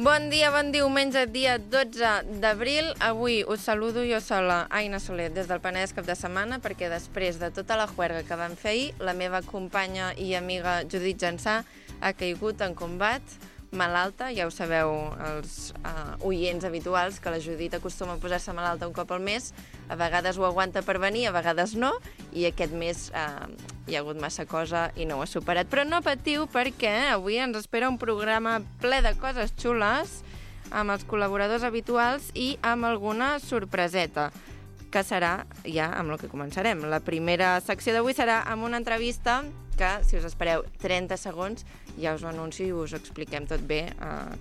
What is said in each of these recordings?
Bon dia, bon diumenge, dia 12 d'abril. Avui us saludo jo sola, Aina Soler, des del Penedès cap de setmana, perquè després de tota la juerga que vam fer ahir, la meva companya i amiga Judit Jansà ha caigut en combat, malalta. Ja ho sabeu, els oients habituals, que la Judit acostuma a posar-se malalta un cop al mes. A vegades ho aguanta per venir, a vegades no, i aquest mes hi ha hagut massa cosa i no ho ha superat. Però no patiu, perquè avui ens espera un programa ple de coses xules, amb els col·laboradors habituals i amb alguna sorpreseta, que serà ja amb el que començarem. La primera secció d'avui serà amb una entrevista que, si us espereu 30 segons, ja us ho anuncio i us ho expliquem tot bé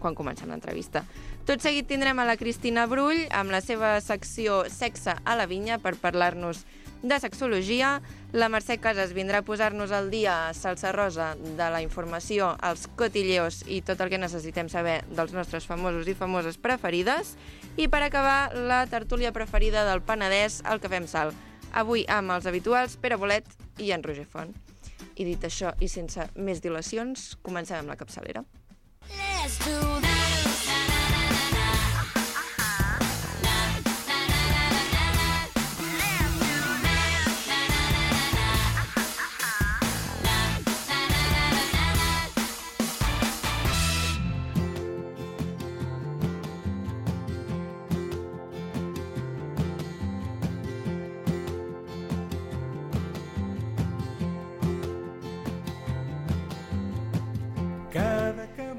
quan comencem l'entrevista. Tot seguit tindrem a la Cristina Brull amb la seva secció Sexe a la Vinya per parlar-nos de sexologia. La Mercè Casas vindrà a posar-nos al dia salsa rosa de la informació, els cotilleos i tot el que necessitem saber dels nostres famosos i famoses preferides. I per acabar, la tertúlia preferida del Penedès, el Cafè amb Sal. Avui amb els habituals Pere Bolet i en Roger Font. I dit això, i sense més dilacions, comencem amb la capçalera. Let's do that.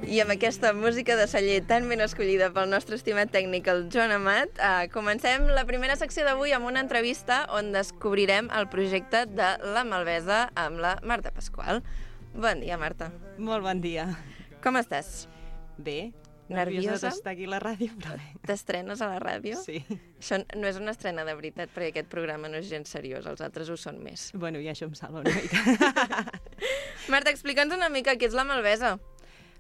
I amb aquesta música de celler tan ben escollida pel nostre estimat tècnic, el Joan Amat, comencem la primera secció d'avui amb una entrevista on descobrirem el projecte de La Malvesa amb la Marta Pasqual. Bon dia, Marta. Molt bon dia. Com estàs? Bé. Nerviosa d'estar aquí a la ràdio, però bé. T'estrenes a la ràdio? Sí. Això no és una estrena de veritat, perquè aquest programa no és gens seriós, els altres ho són més. Bueno, ja això em salva una mica. Marta, explica'ns una mica què és La Malvesa.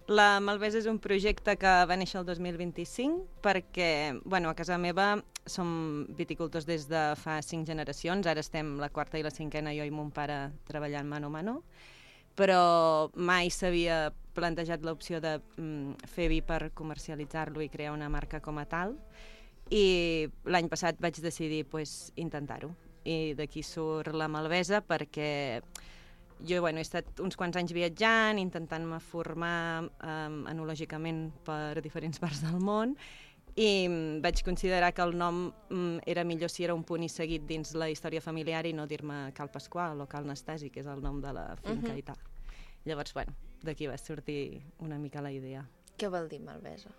La Malvesa és un projecte que va néixer el 2025 perquè, bueno, a casa meva som viticultors des de fa 5 generacions, ara estem la quarta i la cinquena, jo i mon pare treballant mano a mano, però mai s'havia plantejat l'opció de fer vi per comercialitzar-lo i crear una marca com a tal, i l'any passat vaig decidir intentar-ho. I d'aquí surt La Malvesa perquè jo he estat uns quants anys viatjant, intentant-me formar enològicament per diferents parts del món, i vaig considerar que el nom era millor si era un punt i seguit dins la història familiar i no dir-me Cal Pasqual o Cal Nastasi, que és el nom de la finca i tal. Llavors, d'aquí va sortir una mica la idea. Què vol dir Malvesa?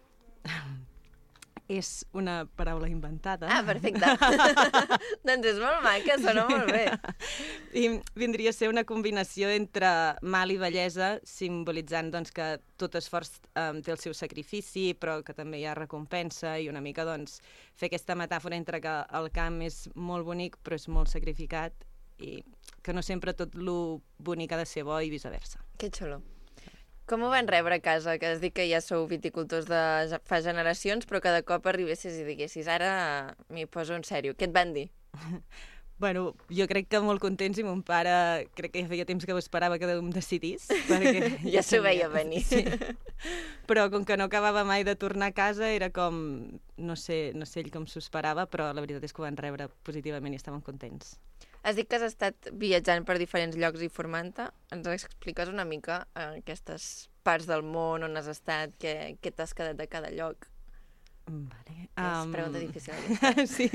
És una paraula inventada. Ah, perfecte. Doncs és molt maca, sona molt bé. I vindria a ser una combinació entre mal i bellesa, simbolitzant que tot esforç té el seu sacrifici, però que també hi ha recompensa, i una mica fer aquesta metàfora entre que el camp és molt bonic però és molt sacrificat i que no sempre tot lo bonic ha de ser bo i viceversa. Que xulo. Com ho van rebre a casa? Que has dit que ja sou viticultors de fa generacions, però que de cop arribessis i diguessis ara m'hi poso en sèrio. Què et van dir? Bueno, jo crec que molt contents, i mon pare crec que ja feia temps que ho esperava que em decidís. Perquè ja s'ho veia venir. Sí. Però com que no acabava mai de tornar a casa, era com, no sé ell com s'ho esperava, però la veritat és que ho van rebre positivament i estaven contents. Has dit que has estat viatjant per diferents llocs i formant-te. Ens expliques una mica aquestes parts del món on has estat, què t'has quedat de cada lloc? Vale. És pregunta difícil. Sí.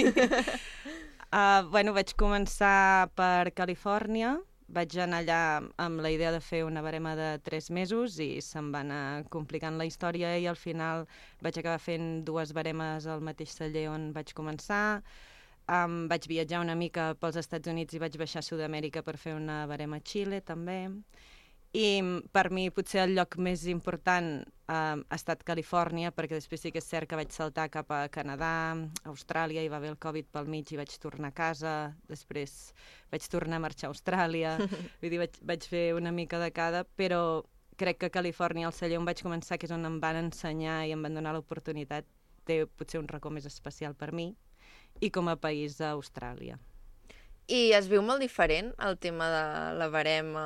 Vaig començar per Califòrnia. Vaig anar allà amb la idea de fer una barema de 3 mesos i se'm va anar complicant la història i al final vaig acabar fent 2 baremes al mateix celler on vaig començar. Vaig viatjar una mica pels Estats Units i vaig baixar a Sud-amèrica per fer una barema a Xile, també. I per mi potser el lloc més important ha estat Califòrnia, perquè després sí que és cert que vaig saltar cap a Canadà, Austràlia, i va haver el Covid pel mig i vaig tornar a casa, després vaig tornar a marxar a Austràlia, vull dir, vaig fer una mica de cada, però crec que Califòrnia, el celler on vaig començar, que és on em van ensenyar i em van donar l'oportunitat, té potser un racó més especial per mi, i com a país a Austràlia. I es viu molt diferent el tema de la barema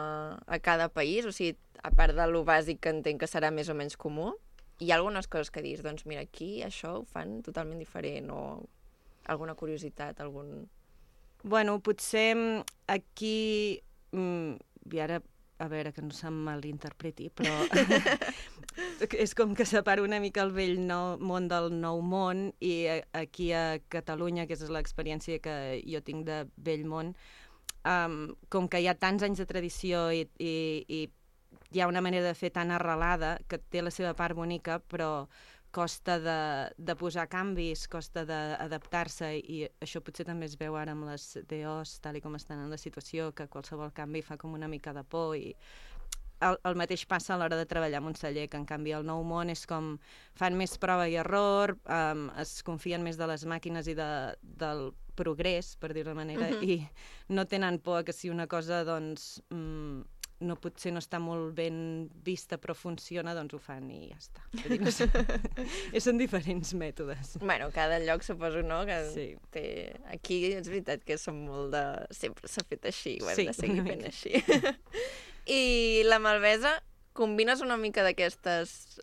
a cada país? O sigui, a part de lo bàsic que entenc que serà més o menys comú? hi ha algunes coses que dius, doncs mira, aquí això ho fan totalment diferent, o alguna curiositat, Bueno, potser aquí... I ara, a veure, que no se'm malinterpreti, però és com que separo una mica el vell món del nou món, i aquí a Catalunya, que és l'experiència que jo tinc de vell món, com que hi ha tants anys de tradició i hi ha una manera de fer tan arrelada que té la seva part bonica, però costa de posar canvis, costa d'adaptar-se, i això potser també es veu ara amb les DOs, tal i com estan en la situació, que qualsevol canvi fa com una mica de por, i el mateix passa a l'hora de treballar en un celler, que en canvi el nou món és com fan més prova i error, es confien més de les màquines i del progrés, per dir-ho d'una manera, i no tenen por que si una cosa doncs potser no està molt ben vista però funciona, doncs ho fan i ja està. No sé. Són diferents mètodes. Bueno, cada lloc suposo, no? Que sí. Aquí és veritat que som molt de... Sempre s'ha fet així, ho hem de seguir fent així. I la Malvesa, combines una mica d'aquestes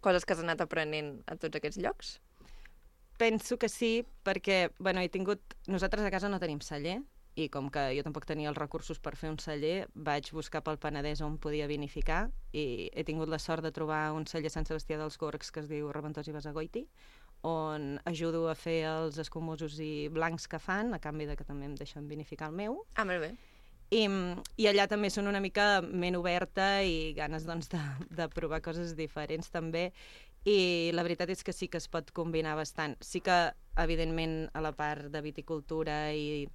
coses que has anat aprenent a tots aquests llocs? Penso que sí, perquè nosaltres a casa no tenim celler, i com que jo tampoc tenia els recursos per fer un celler, vaig buscar pel Penedès on podia vinificar, i he tingut la sort de trobar un celler a Sant Sebastià dels Gorgs que es diu Reventós i Basagoiti, on ajudo a fer els escumosos i blancs que fan, a canvi de que també em deixen vinificar el meu. Ah, molt bé. I allà també són una mica ment oberta i ganes doncs, de provar coses diferents també, i la veritat és que sí que es pot combinar bastant. Sí que, evidentment, a la part de viticultura i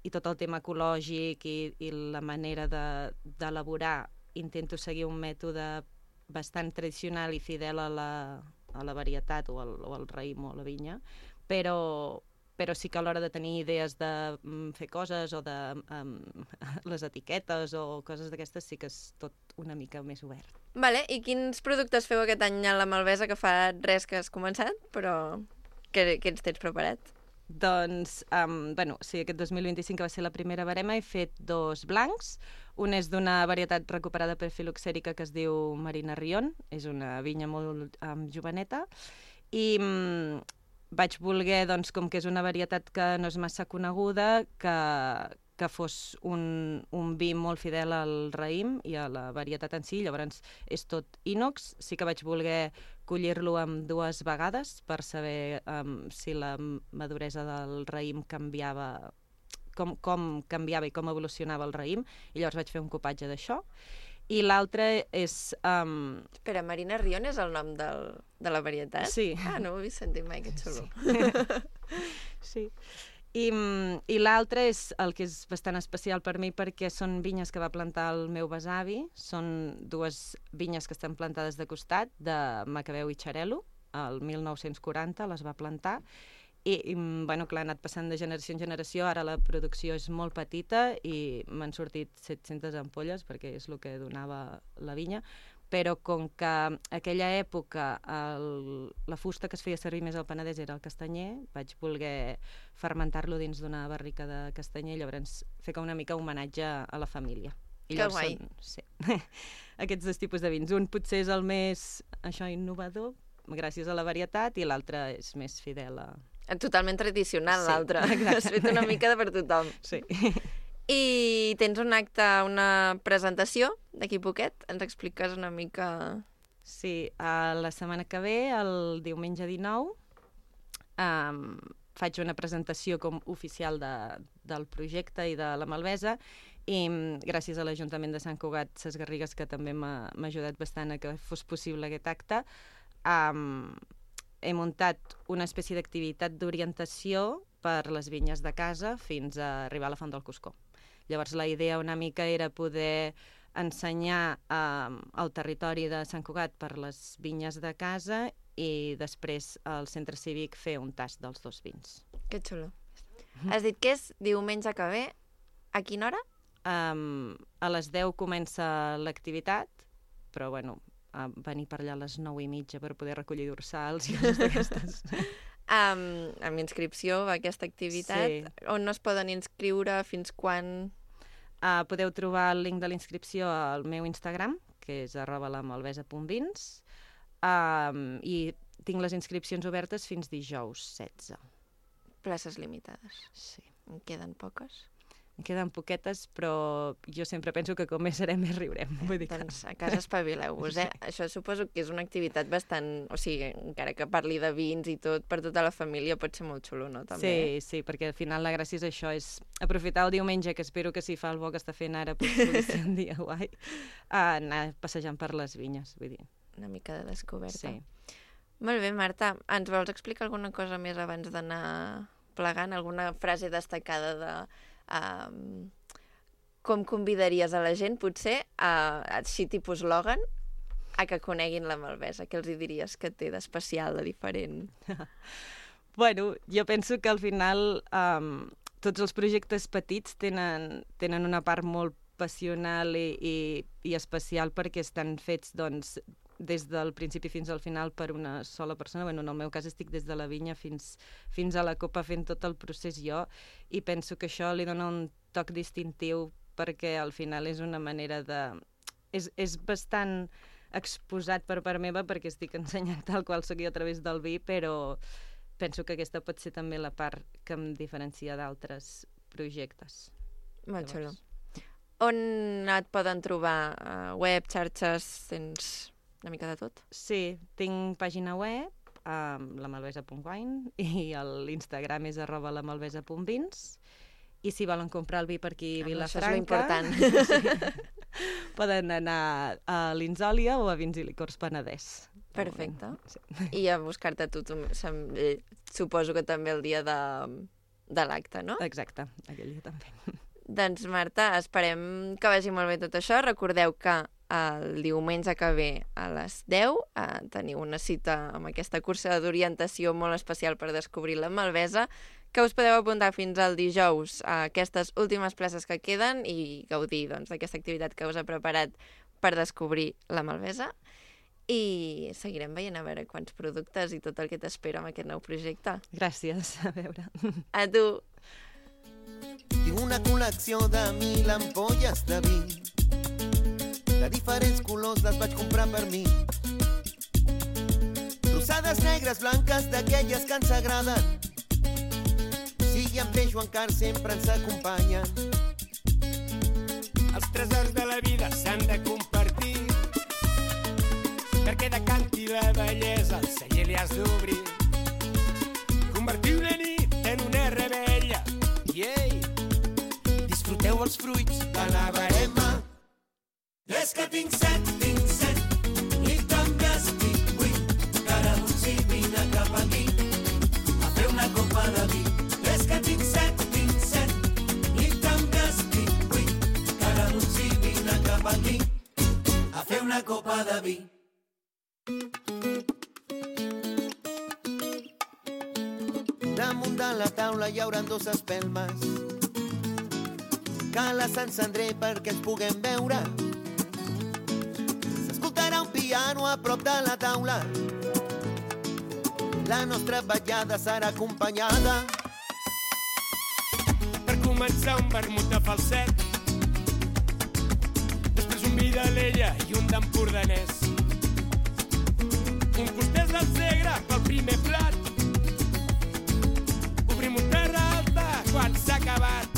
tot el tema ecològic i la manera d'elaborar, intento seguir un mètode bastant tradicional i fidel a la varietat o al raïm o a la vinya, però sí que a l'hora de tenir idees de fer coses o de les etiquetes o coses d'aquestes sí que és tot una mica més obert. Vale, i quins productes feu aquest any a la Malvesa, que fa res que has començat, però que ens tens preparat? Doncs, sí, aquest 2025, que va ser la primera barema, he fet 2 blancs. Un és d'una varietat recuperada per filoxèrica que es diu Marina Rion, és una vinya molt joveneta, i vaig voler, doncs, com que és una varietat que no és massa coneguda, que fos un vi molt fidel al raïm i a la varietat en si, llavors és tot ínox. Sí que vaig voler collir-lo amb 2 vegades per saber si la maduresa del raïm canviava, com canviava i com evolucionava el raïm, i llavors vaig fer un copatge d'això. I l'altre és... Espera, Marina Rion és el nom de la varietat? Sí. Ah, no ho havia sentit mai, que xulo. Sí. I l'altre és el que és bastant especial per mi, perquè són vinyes que va plantar el meu besavi. Són 2 vinyes que estan plantades de costat, de Macabeu i Xarel·lo, el 1940 les va plantar, i clar, ha anat passant de generació en generació. Ara la producció és molt petita i m'han sortit 700 ampolles, perquè és el que donava la vinya, però com que aquella època la fusta que es feia servir més al Penedès era el castanyer, vaig voler fermentar-lo dins d'una barrica de castanyer, i llavors fer com una mica homenatge a la família. Que guai! Sí, aquests 2 tipus de vins. Un potser és el més innovador, gràcies a la varietat, i l'altre és més fidel a... Totalment tradicional, sí, l'altre. Has fet una mica per tothom. Sí. I tens un acte, una presentació d'aquí poquet? Ens expliques una mica... Sí, la setmana que ve, el diumenge 19, faig una presentació com oficial del projecte i de la Malvesa, i gràcies a l'Ajuntament de Sant Cugat Ses Garrigues, que també m'ha ajudat bastant a que fos possible aquest acte, he muntat una espècie d'activitat d'orientació per les vinyes de casa fins a arribar a la Font del Cuscó. Llavors la idea una mica era poder ensenyar el territori de Sant Cugat per les vinyes de casa i després al centre cívic fer un tast dels 2 vins. Que xulo. Has dit que és diumenge que ve. A quina hora? A les 10 comença l'activitat, però venir per allà a les 9:30 per poder recollir dorsals i coses d'aquestes. Amb inscripció a aquesta activitat. Sí. On no es poden inscriure, fins quan? Podeu trobar el link de l'inscripció al meu Instagram, que és @lamalvesa.vins. i tinc les inscripcions obertes fins dijous 16. Places limitades. Sí. En queden poques? En queden poquetes, però jo sempre penso que com més serem, més riurem. Vull dir Doncs a casa espavileu-vos, eh? Això suposo que és una activitat bastant... O sigui, encara que parli de vins i tot, per tota la família pot ser molt xulo, no? També. Sí, perquè al final la gràcia és això, és aprofitar el diumenge, que espero que si fa el bo que està fent ara, pugui ser un dia guai, anar passejant per les vinyes, vull dir. Una mica de descoberta. Sí. Molt bé, Marta. Ens vols explicar alguna cosa més abans d'anar plegant? Alguna frase destacada de... com convidaries a la gent, potser, així tipus Logan, a que coneguin la Malvesa? Què els hi diries que té d'especial, de diferent? Bueno, jo penso que al final tots els projectes petits tenen una part molt passional i especial perquè estan fets, doncs, des del principi fins al final per una sola persona. Bueno, en el meu cas estic des de la vinya fins a la copa fent tot el procés jo, i penso que això li dona un toc distintiu perquè al final és una manera de... És bastant exposat per part meva perquè estic ensenyant tal qual soc jo a través del vi, però penso que aquesta pot ser també la part que em diferencia d'altres projectes. Molt xulo. On et poden trobar? Web, xarxes, tens... una mica de tot? Sí, tinc pàgina web, lamalvesa.wine, i l'Instagram és @lamalvesa.vins, i si volen comprar el vi per aquí a Vilafranca... Això és l'important. Sí, poden anar a l'Insòlia o a Vins i Licors Penedès. Perfecte. Sí. I a buscar-te tu, suposo que també el dia de l'acte, no? Exacte, aquell dia també. Doncs, Marta, esperem que vagi molt bé tot això. Recordeu que el diumenge que ve a les 10 teniu una cita amb aquesta cursa d'orientació molt especial per descobrir la Malvesa, que us podeu apuntar fins al dijous a aquestes últimes places que queden i gaudir d'aquesta activitat que us ha preparat per descobrir la Malvesa. I seguirem veient a veure quants productes i tot el que t'espera amb aquest nou projecte. Gràcies, a veure. A tu. Tinc una col·lecció de 1000 ampolles de vi. De diferents colors les vaig comprar per mi. Rosades, negres, blanques, d'aquelles que ens agraden. Sigui amb peix o en car, sempre ens acompanyen. Els tresors de la vida s'han de compartir, perquè de canti la bellesa el celler li has d'obrir. Convertir una nit en una rebella. Ei, disfruteu els fruits de la verema. És que tinc set, i també estic buit. Cara d'unci, vine cap aquí, a fer una copa de vi. És que tinc set, i també estic buit. Cara d'unci, vine cap aquí, a fer una copa de vi. Damunt de la taula hi haurà 2 espelmes que les encendré perquè ens puguem veure. S'escoltarà un piano a prop de la taula. La nostra ballada serà acompanyada Per començar un vermut de falset, després un vi d'Alella i un d'empordanès, un costès del Segre pel primer plat, obrim un terra alta quan s'ha acabat.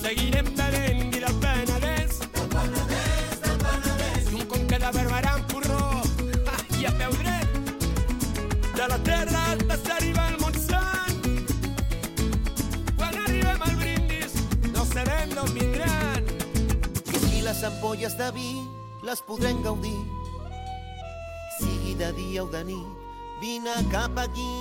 Seguirem bevent vi del Penedès, i un conca de Barberà amb porró, i a peu dret de la terra alta s'arriba al Montsant. Quan arribem al brindis no sabem d'on vindran. i les ampolles de vi les podrem gaudir. Sigui de dia o de nit, vine cap aquí.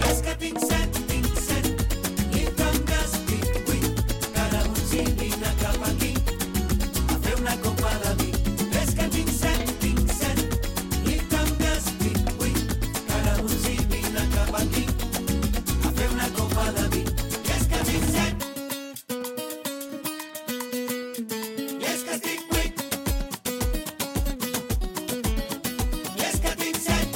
És que tinc set, i també estic buit. Cada un s'hi vine cap aquí, a fer una copa de vi. És que tinc set, i també estic buit. Cada un s'hi vine cap aquí, a fer una copa de vi. És que tinc set, i és que estic buit. I és que tinc set,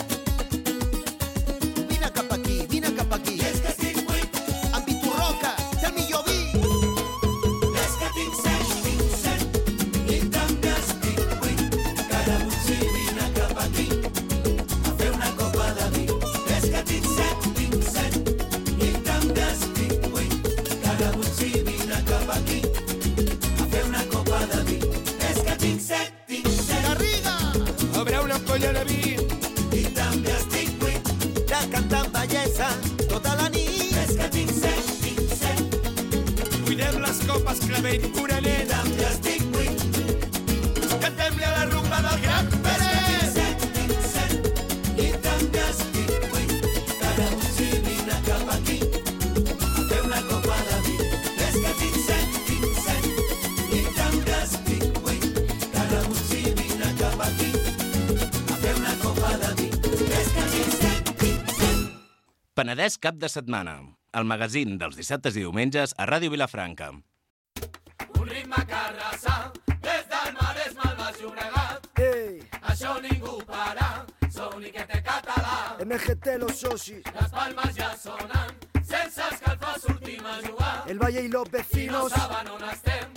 cantant bellesa tota la nit. És que tinc set. Cuidem les copes, clavell, pura nena. Ja estic buit. Cantem-li a la rumba del Gran Pérez. Tinc set. I també estic buit. Cada un s'hi vine cap aquí a fer una copa de vi. És que tinc set. I també estic buit. Cada un s'hi vine cap aquí a fer una copa de vi. És que tinc set. Penedès cap de setmana. El magazín dels dissabtes i diumenges a Ràdio Vilafranca. Un ritme carrassà, des del Maresme al Baix Llobregat. Això ningú para, soniquete català. MGT, los socis, Les palmes ja sonen, sense escalfar sortim a jugar. el Valle y los I no vecinos. saben on estem,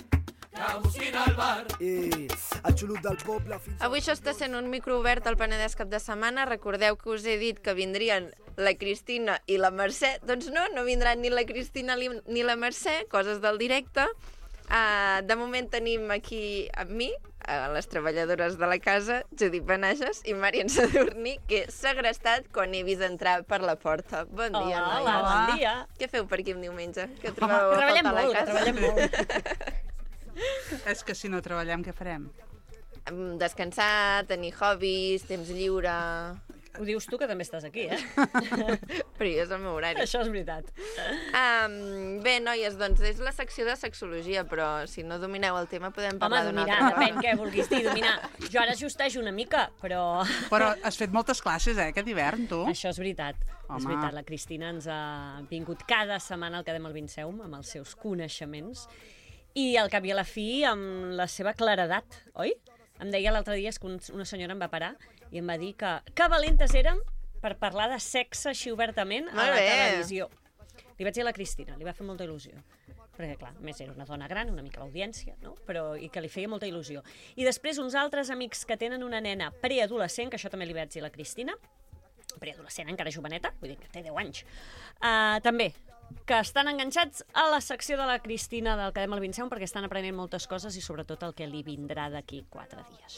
que busquin al bar. El xulut del poble fins Avui això està sent un micro obert al Penedès cap de setmana. Recordeu que us he dit que vindrien la Cristina i la Mercè. Doncs no vindran ni la Cristina ni la Mercè, coses del directe. De moment tenim aquí amb mi les treballadores de la casa, Judit Benages i Marian Sadurní, que he segrestat quan he vist entrar per la porta. Bon dia, noies. Hola, bon dia. Què feu per aquí un diumenge? Que trobeu a Treballem faltar a la molt, casa? treballem molt. És que si no treballem, què farem? Descansar, tenir hobbies, temps lliure... Ho dius tu, que també estàs aquí, Però jo és el meu horari. Això és veritat. Bé, noies, doncs és la secció de sexologia, però si no domineu el tema podem parlar d'una dominar, altra depèn cosa. què vulguis dir, dominar. Jo ara justejo una mica, però... Però has fet moltes classes, aquest hivern, tu? Això és veritat. Home. És veritat, la Cristina ens ha vingut cada setmana al Cadem al Vinceum amb els seus coneixements i al cap i a la fi amb la seva claredat, oi? Em deia l'altre dia que una senyora em va parar i em va dir que valentes érem per parlar de sexe així obertament a Molt la bé. televisió. Li vaig dir a la Cristina, li va fer molta il·lusió. Perquè, clar, a més era una dona gran, una mica l'audiència, no? Però, i que li feia molta il·lusió. I després uns altres amics que tenen una nena preadolescent, que això també li vaig dir a la Cristina, preadolescent, encara joveneta, vull dir que té 10 anys, també, que estan enganxats a la secció de la Cristina del Cadem al Vinceum perquè estan aprenent moltes coses i sobretot el que li vindrà d'aquí 4 dies.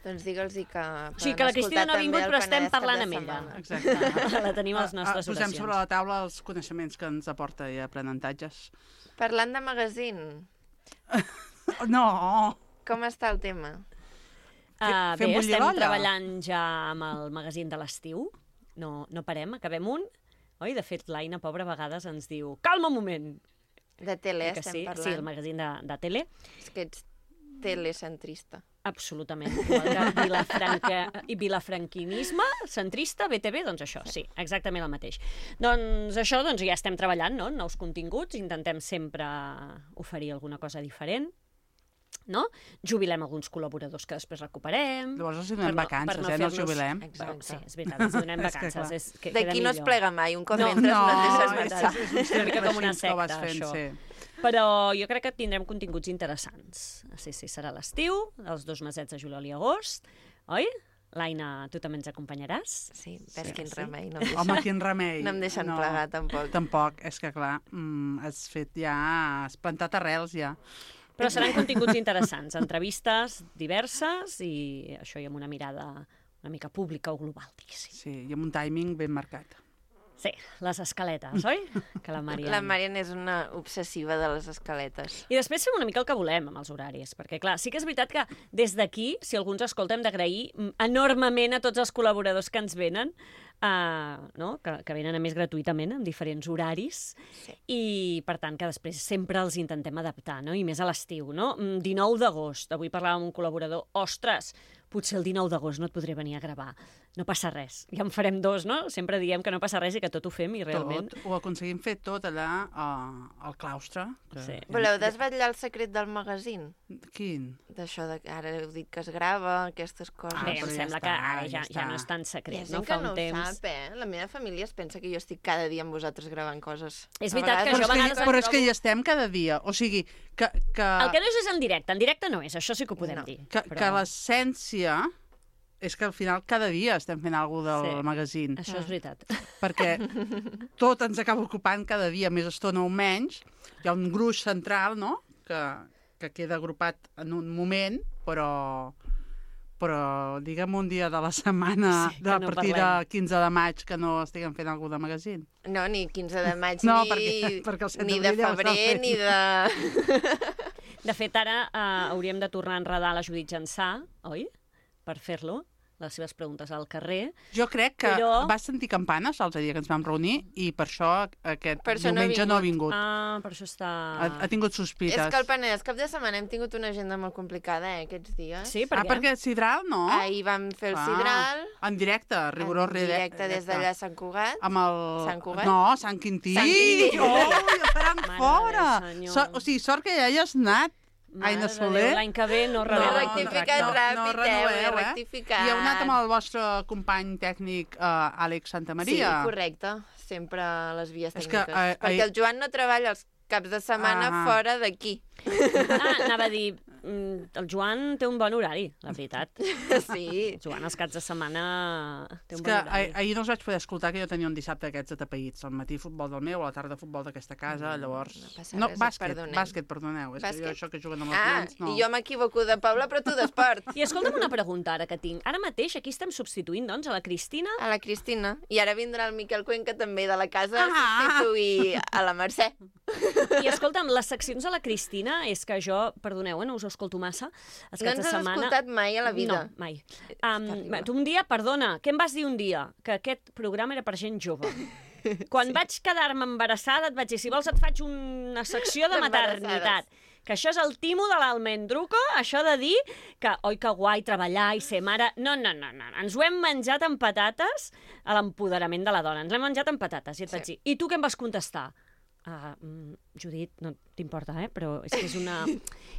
Doncs digue'ls que O sigui que la Cristina no ha vingut, però estem parlant amb ella. Exacte. La tenim a les nostres Posem oracions. sobre la taula els coneixements que ens aporta i aprenentatges. Parlant de magazine, No! com està el tema? Bé, Fem bullir estem l'olla? treballant ja amb el magazín de l'estiu. No parem, acabem un. Oi, de fet, l'Aina, pobra, a vegades ens diu calma un moment. De tele Que estem sí, parlant. sí, el magazín de tele. És que ets telecentrista. Absolutament. Igual que vilafranquinisme, centrista, BTV, doncs això, sí, exactament el mateix. Doncs això, doncs ja estem treballant, no?, nous continguts, intentem sempre oferir alguna cosa diferent, no? Jubilem alguns col·laboradors que després recuperem. Llavors els donem vacances, no els jubilem. Exacte. Sí, és veritat, els donem És que vacances. clar. Queda D'aquí no es millor. plega mai, un cop No, entres no et deixes és marxar. és una mica com una que ho vas secta, fent, això. sí. Però jo crec que tindrem continguts interessants. Sí, serà l'estiu, els 2 mesets de juliol i agost, oi? L'Aina, tu també ens acompanyaràs? Sí, ves quin sí. remei. No em Home, deixen, quin remei. no em deixen plegar, tampoc. Tampoc, és que clar, has fet ja... Has plantat arrels ja. Però seran continguts interessants, entrevistes diverses i això i amb una mirada una mica pública o global, diguéssim. Sí, i amb un timing ben marcat. Sí, les escaletes, oi? Que la Marian... La Marian és una obsessiva de les escaletes. I després fem una mica el que volem amb els horaris, perquè, clar, sí que és veritat que des d'aquí, si algú ens escolta, hem d'agrair enormement a tots els col·laboradors que ens venen, no? que venen a més gratuïtament, amb diferents horaris, Sí. i, per tant, que després sempre els intentem adaptar, no? I més a l'estiu, no? 19 d'agost, avui parlàvem amb un col·laborador, ostres, potser el 19 d'agost no et podré venir a gravar. No passa res. Ja en farem 2, no? Sempre diem que no passa res i que tot ho fem i realment... Tot, ho aconseguim fer tot allà al claustre. Que... Sí. Voleu desvetllar el secret del magazín? Quin? D'això de que ara heu dit que es grava, aquestes coses. Bé, però em ja sembla està, que ara ja ja no està. és tan Hi ha secret, gent no? que Fa no un ho temps... sap, La meva família es pensa que jo estic cada dia amb vosaltres gravant coses. És A veritat que vegades- jo a vegades Però és que hi estem cada dia. O sigui, que El que no és en directe no és, això sí que ho podem No. dir. que l'essència és que al final cada dia estem fent alguna cosa del Sí. magazín. Això és veritat. Perquè tot ens acaba ocupant cada dia, més estona o menys. Hi ha un gruix central, no?, que queda agrupat en un moment, però però digue'm un dia de la setmana, Sí, de que no partir parlem. de 15 de maig, que no estiguem fent alguna de magazín. No, ni 15 de maig, No, ni, perquè el 7 ni de d'abril ja ho estan febrer, fent. ni de... De fet, ara hauríem de tornar a enredar la Judit Jansà, oi? Per fer-lo, les seves preguntes al carrer. Jo crec que Però- vas sentir campanes l'altre dia que ens vam reunir i per això aquest Per això no ha diumenge no ha vingut. Ah, per això està... Ha tingut sospites. És que el Penedès cap de setmana hem tingut una agenda molt complicada, aquests dies. Sí, per què? perquè Sidral, no? Ahir vam fer el Sidral, En directe, rigorós en directe des d'allà a Sant Cugat. Amb el... Sant Cugat? No, Sant Quintí. Sant Quintí. Oh, ja estaran Mare fora. de Senyor. O sigui, sort que ja hi has anat. Aina Mare de Soler. Déu, l'any que ve no No, rebeu he el rectificat contracte. ràpid, renoveu, ho he rectificat. I heu anat amb el vostre company tècnic, Àlex Santamaria. Sí, correcte. Sempre a les vies És que, tècniques. Perquè el Joan no treballa els caps de setmana Ah. fora d'aquí. Anava a dir, el Joan té un bon horari, la veritat. Sí. El Joan els caps de setmana té És un que bon horari. ahir no us vaig poder escoltar, que jo tenia un dissabte d'aquests atapeïts. Al matí futbol del meu, a la tarda futbol d'aquesta casa, llavors... No passa res, et perdonem. bàsquet, perdoneu. És que jo Bàsquet? això que juguen amb els Ah, clients, no. i jo m'equivoco de Paula, però tu d'esport. I escolta'm una pregunta ara que tinc. Ara mateix aquí estem substituint, doncs, a la Cristina. A la Cristina. I ara vindrà el Miquel Cuenca també de la casa a Ah. substituir a la Mercè. I escolta'm, les seccions de la Cristina és que jo, perdoneu, no us ho escolto massa, els No caps ens de has setmana... escoltat mai a la vida. No, mai. terrible. Tu un dia, perdona, què em vas dir un dia? Que aquest programa era per gent jove. Quan vaig quedar-me embarassada et vaig dir, si vols et faig una secció de D'embarassades. maternitat. Que això és el timo de l'almendruco, això de dir que, oi, que guai, treballar i ser mare... No. Ens ho hem menjat amb patates a l'empoderament de la dona. Ens l'hem menjat amb patates. I et vaig dir, i tu què em vas contestar? Judit, no t'importa, però és que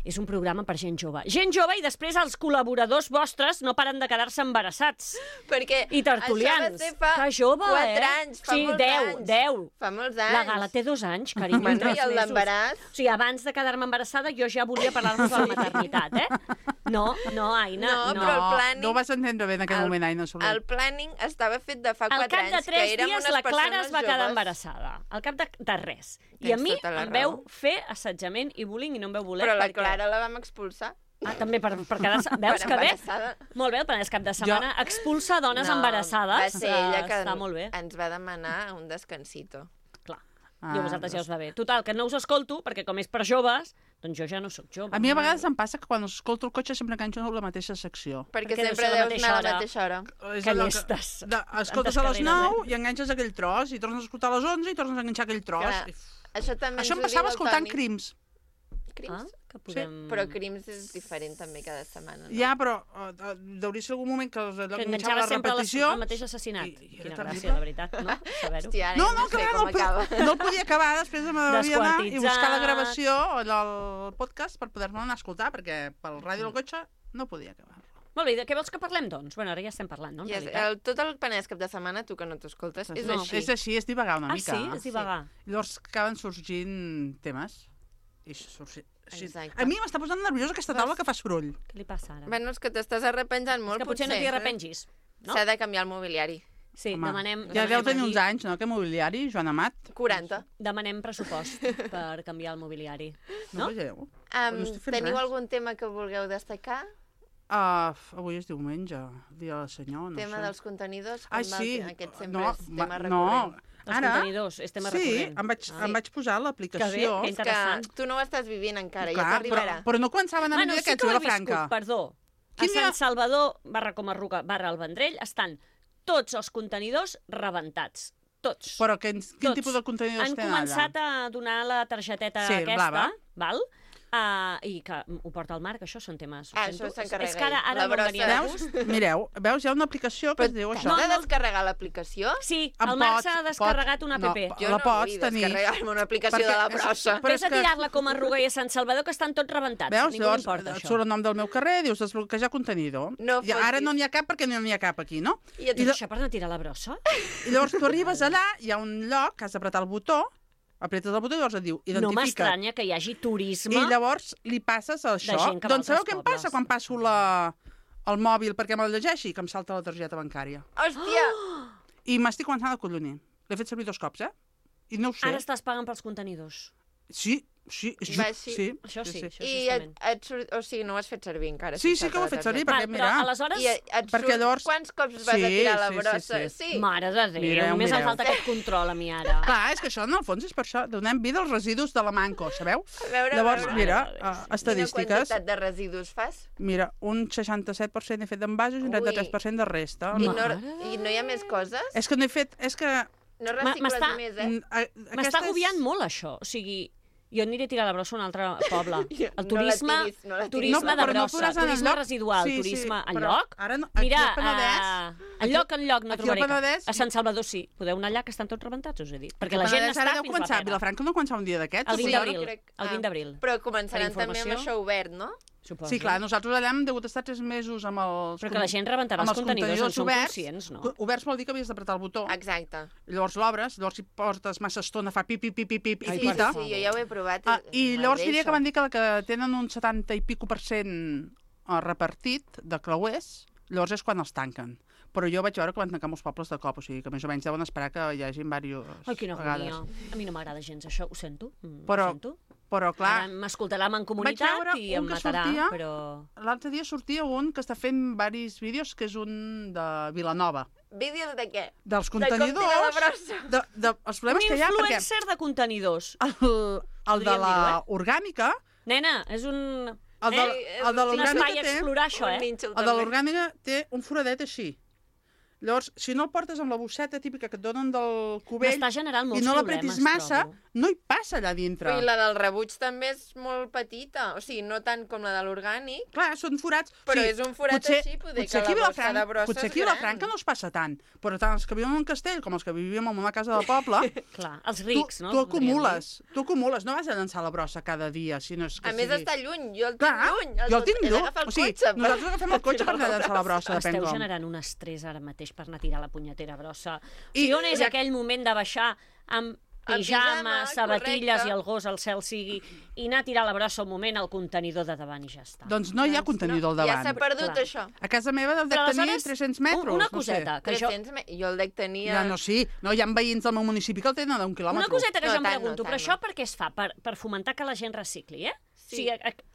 és un programa per gent jove. Gent jove i després els col·laboradors vostres no paren de quedar-se embarassats. Perquè I tertulians. això va ser fa Que jove, 4 anys, fa sí, molts 10, anys. 10. Fa molts anys. La Gala té 2 anys, carinyo. Bueno, 3 i el mesos. d'embaràs? O sigui, abans de quedar-me embarassada jo ja volia parlar-vos de la maternitat, No, Aina, No, no. però el planning... No ho vas entendre bé en aquell moment, Aina Soler. El planning estava fet de fa 4 Al cap de anys, 3 que érem dies unes la Clara persones es va quedar joves. embarassada. Al cap de res. I Tens a mi tota la em veu raó. fer assetjament i bullying i no em veu voler. Però la perquè- Clara la vam expulsar. Ah, també per quedar-se... Veus Per que bé? embarassada. Molt bé, el Penedès cap de setmana expulsa dones embarassades. Va ser ella que Està molt bé. ens va demanar un descansito. Clar. Ah, I a vosaltres ja us va bé. Total, que no us escolto, perquè com és per joves, doncs jo ja no sóc jove. A mi a vegades em passa que quan escolto el cotxe sempre enganxo la mateixa secció. Perquè Perquè sempre deu ser la deus anar a la mateixa mateixa hora. És Que allò llestes. Escoltes a Tantes les carreres, 9 i enganxes aquell tros, i tornes a escoltar a les 11 i tornes a enganxar aquell tros. Clar. Això també Això ens em ho passava diu el escoltant Toni. Crims. Crims? Ah, que podem... Però Crims és diferent també cada setmana. No? Ja, però deuria ser algun moment que els Que enganxava enganxava la sempre repetició. el mateix assassinat. I era Quina terrible. gràcia, de veritat, no? Saber-ho. Hòstia, ara No, ja no sé com acaba. no el podia acabar, després m'havia d'anar i buscar la Desquartitzat. gravació, el podcast, per poder-me anar a escoltar, perquè pel ràdio del cotxe no podia acabar. Molt bé, de què vols que parlem, doncs? Bueno, ara ja estem parlant, no? En I és, realitat. tot el Penedès cap de setmana, tu que no t'escoltes, és No. així. És així, és divagar una Ah, mica. sí? És divagar. Llavors acaben sorgint temes. I així. Exacte. A mi m'està posant nerviosa aquesta taula que fa soroll. Què li passa ara? Bueno, és que t'estàs arrepenjant molt, És que potser no t'hi arrepengis, no? S'ha de canviar el mobiliari. Sí, Home, demanem... ja deu tenir uns aquí- anys, no?, que mobiliari, Joan Amat. 40. Demanem pressupost per canviar el mobiliari. No? No? Veieu? No estic fent Teniu res. algun tema que vulgueu destacar? Avui és diumenge, dia del senyor, no tema sé. dels contenidors? Ai, com va sí. el Aquest sempre No, és tema no, recurrent. Els ara... contenidors, és tema Sí, recurrent. em vaig posar Que bé, l'aplicació. que És que interessant. tu no ho estàs vivint encara, ja Clar, t'arribarà. però no començaven a venir sí aquests que ho a he la Franca. viscut, perdó. A Quin dia? Sant Salvador, /Comarruga, el Vendrell, estan tots els contenidors rebentats. Tots. Però quin Tots. tipus de contenidors Han tenen començat allà? a donar la targeteta Sí, aquesta, blava. val? I que ho porta el Marc, això són temes... ho Ah, sento. això s'encarrega És que ara ell, la no em brossa. venia de Veus? gust. Mireu, veus, hi ha una aplicació que es diu això. T'has de descarregar l'aplicació? Sí, Em el Marc pots- s'ha descarregat una app. no, Jo la no pots vull tenir. descarregar-me una aplicació de la brossa. Però Ves és a que- tirar-la com a Arruga i a Sant Salvador, que estan tots rebentats. Veus? Ningú Llavors, importa, et això. surt el nom del meu carrer, dius desbloquejar contenidor. No I ara fotis. no n'hi ha cap perquè no n'hi ha cap aquí, no? I et I això per no tirar la brossa? I llavors tu arribes allà, hi ha un lloc que has d'apretar el botó, apretes el botó i llavors et diu No identifica. m'estranya que hi hagi turisme. I llavors li passes això. gent que va a Doncs sabeu altres què em passa pobles. quan passo el mòbil perquè me'l llegeixi? Que em salta la targeta bancària. Hòstia! I m'estic començant a collonir. L'he fet servir 2 cops, I no ho sé. Ara estàs pagant pels contenidors. Sí. Això sí, I o sigui, no ho has fet servir encara. Sí, que ho he fet servir, perquè mira... Però aleshores... I et surt quants cops vas a tirar la brossa? Sí. Mare de Déu, només em falta aquest control a mi ara. Clar, és que això, en el fons, és per això. Donem vida als residus de la Manco, sabeu? Llavors, mira, estadístiques... Quina quantitat de residus fas? Mira, un 67% he fet d'envasos i un 33% de resta. I no hi ha més coses? És que no he fet... És que... No recicles més, M'està agobiant molt, això. O sigui, jo aniré a tirar la brossa a un altre poble. El turisme, turisme de brossa, turisme residual, turisme enlloc. Mira, enlloc no trobaré. A Sant Salvador sí. Podeu anar allà, que estan tots rebentats, us he dit. Perquè la gent està fins la pena. Vilafranca no començarà un dia d'aquests? El 20 d'abril. Però començaran també amb això obert, no? Sí, clar, nosaltres allà hem degut estar 3 mesos amb els... Però que la gent rebentarà els contenidors, en som conscients, no? Oberts vol dir que havies d'apretar el botó. Exacte. Llavors l'obres, llavors si portes massa estona fa pip, i pita. Sí, jo ja ho he provat. I llavors diria que van dir que tenen un 70 i pico % repartit de creuers, llavors és quan els tanquen. Però jo vaig veure que van tancar molts pobles de cop, o sigui que més o menys deuen esperar que hi hagi diverses Ai, quina agonia. A mi no m'agrada gens això, ho sento. Però clar... M'escoltarà en comunitat i em matarà, però... L'altre dia sortia un que està fent diversos vídeos, que és un de Vilanova. Vídeos de què? Dels contenidors... De com tirar la brossa. Els problemes que hi ha, perquè... Un influencer de contenidors. El de la orgànica... Nena, és un... El de l'orgànica té... explorar això, El de l'orgànica té un foradet així. Llavors, si no el portes amb la bosseta típica que et donen del cubell i no l'apretis massa, no hi passa allà dintre. I la del rebuig també és molt petita, o sigui, no tant com la de l'orgànic. Clar, són forats. Però és un forat així, poder que la bossa de brossa és gran. Potser aquí a Vilafranca no es passa tant, però tant els que viuen en un castell com els que vivíem en una casa de poble... Clar, els rics, no? Tu acumules, no vas a llançar la brossa cada dia, si no és que a més, està lluny, jo el tinc lluny. Jo el tinc lluny, o sigui, nosaltres agafem el cotxe per anar a llançar la brossa, depèn com. Esteu generant un estrès ara mateix per anar a tirar la punyetera brossa. I on és aquell moment de baixar amb pijama, sabatilles i el gos al cel sigui, i anar a tirar la brossa un moment al contenidor de davant i ja està. Doncs no hi ha contenidor al davant. Ja s'ha perdut això. A casa meva dec tenir 300 metres. Una coseta. No sé. Jo el dec tenir... No, sí. No, hi ha veïns del meu municipi que el tenen d'un quilòmetre. Una coseta que jo em pregunto, però això per què es fa? Per fomentar que la gent recicli, eh? Sí.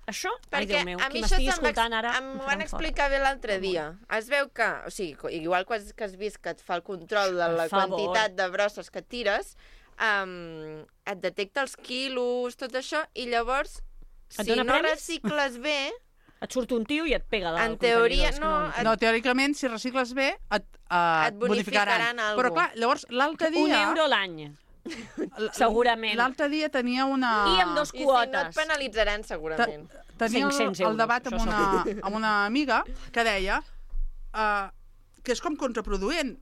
Això, ai Déu meu, qui m'estigui escoltant ara... M'ho van explicar bé l'altre dia. Es veu que, o sigui, igual que has vist que et fa el control de la quantitat de brosses que tires, et detecta els quilos, tot això, i llavors, si no recicles bé... Et surt un tio i et pega del en teoria, no, teòricament, si recicles bé, et bonificaran. Però clar, llavors, l'altre dia... €1 l'any. Segurament. L'altre dia tenia una... I amb 2 quotes. I si no et penalitzaran, segurament. Tenia el debat amb una amiga que deia que és com contraproduent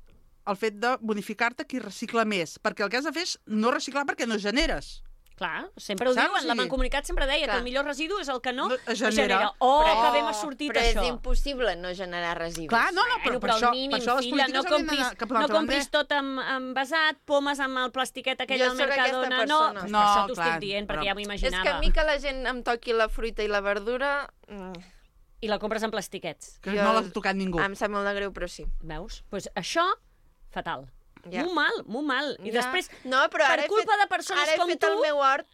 el fet de bonificar-te qui recicla més, perquè el que has de fer és no reciclar perquè no generes. Clar, sempre ho diuen, la Mancomunitat sempre deia que el millor residu és el que no genera. Que bé m'ha sortit això. Però és impossible no generar residus. Clar, però per això les polítiques haurien d'anar cap a l'altre. No compris tot envasat, pomes amb el plastiquet aquell del Mercadona. No, per això t'ho estic dient, perquè ja m'ho imaginava. És que a mi que la gent em toqui la fruita i la verdura... I la compres en plastiquets. Que no l'ha tocat ningú. Em sap molt de greu, però sí. Veus? Doncs això, fatal. Molt mal. I després, per culpa de persones com tu,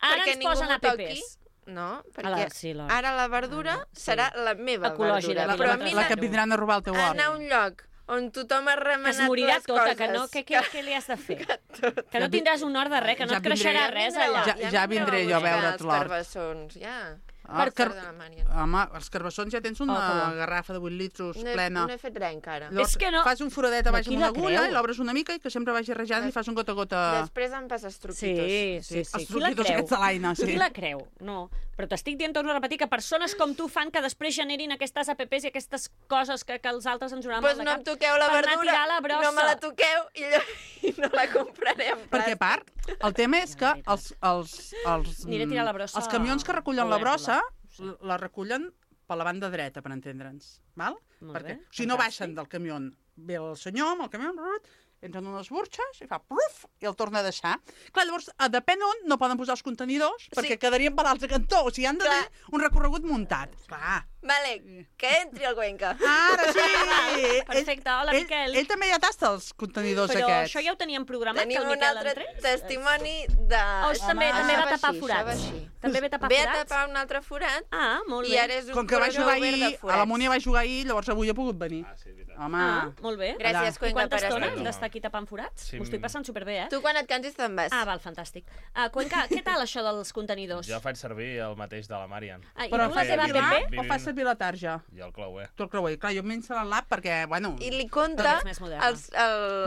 ara ens posen APPs. No, perquè ara la verdura serà la meva verdura. Però a mi la que vindran a robar el teu hort. Anar a un lloc on tothom ha remenat les coses. Es morirà tota, que no, què li has de fer? Que no tindràs un hort de res, que no et creixerà res allà. Ja vindré jo a veure't l'hort. Els carbassons, ja. Home, els carbassons ja tens una garrafa de 8 litros plena. No he fet res encara. Fas un foradet a baix amb una agulla i l'obres una mica i que sempre vagi rejant i fas un gota a gota. Després em passes truquitos. Sí. Els truquitos aquests de l'Aina, sí. Qui la creu? No. Però t'estic dient, torno a repetir, que persones com tu fan que després generin aquestes APPs i aquestes coses que els altres ens donaran mal de cap. Doncs no em toqueu la verdura, no me la toqueu i no la compraré en plàstic. Perquè a part, el tema és que els camions que recullen la brossa la recullen per la banda dreta, per entendre'ns. Si no baixen del camió, ve el senyor amb el camió, entren unes burxes i fa pluf i el torna a deixar. Clar, llavors, depèn on no poden posar els contenidors perquè quedarien per l'altre cantó. O sigui, han de tenir un recorregut muntat. Clar. Vale, que entri el Cuenca. Ara sí! Perfecte, hola, Miquel. Ell també ja tasta els contenidors Però aquests. això ja ho teníem programat, Tenim que el un Miquel altre entrés? testimoni de... També va tapar així, forats. això va així. També ve tapar Ve a forats? tapar un altre forat Ah, molt bé. i ara és un Com que va corredor jugar obert de ahir, a forats. la Múnia va jugar ahir, llavors avui ha pogut venir. Home, Molt bé. Gràcies, I Cuenca, quanta per estona estar hem aquí. d'estar aquí tapant forats? Sí, M'ho estic passant superbé, eh? Tu quan et cansis te'n vas. Ah, val, fantàstic. Cuenca, què tal això dels contenidors? Jo faig servir el mateix de la Marian. I però tu la fas teva servir app? l'app o fas servir la tarja? I el clauer. Tu el creuer. Clar, jo m'he instal·lat l'app perquè, bueno... I li compta És més moderna.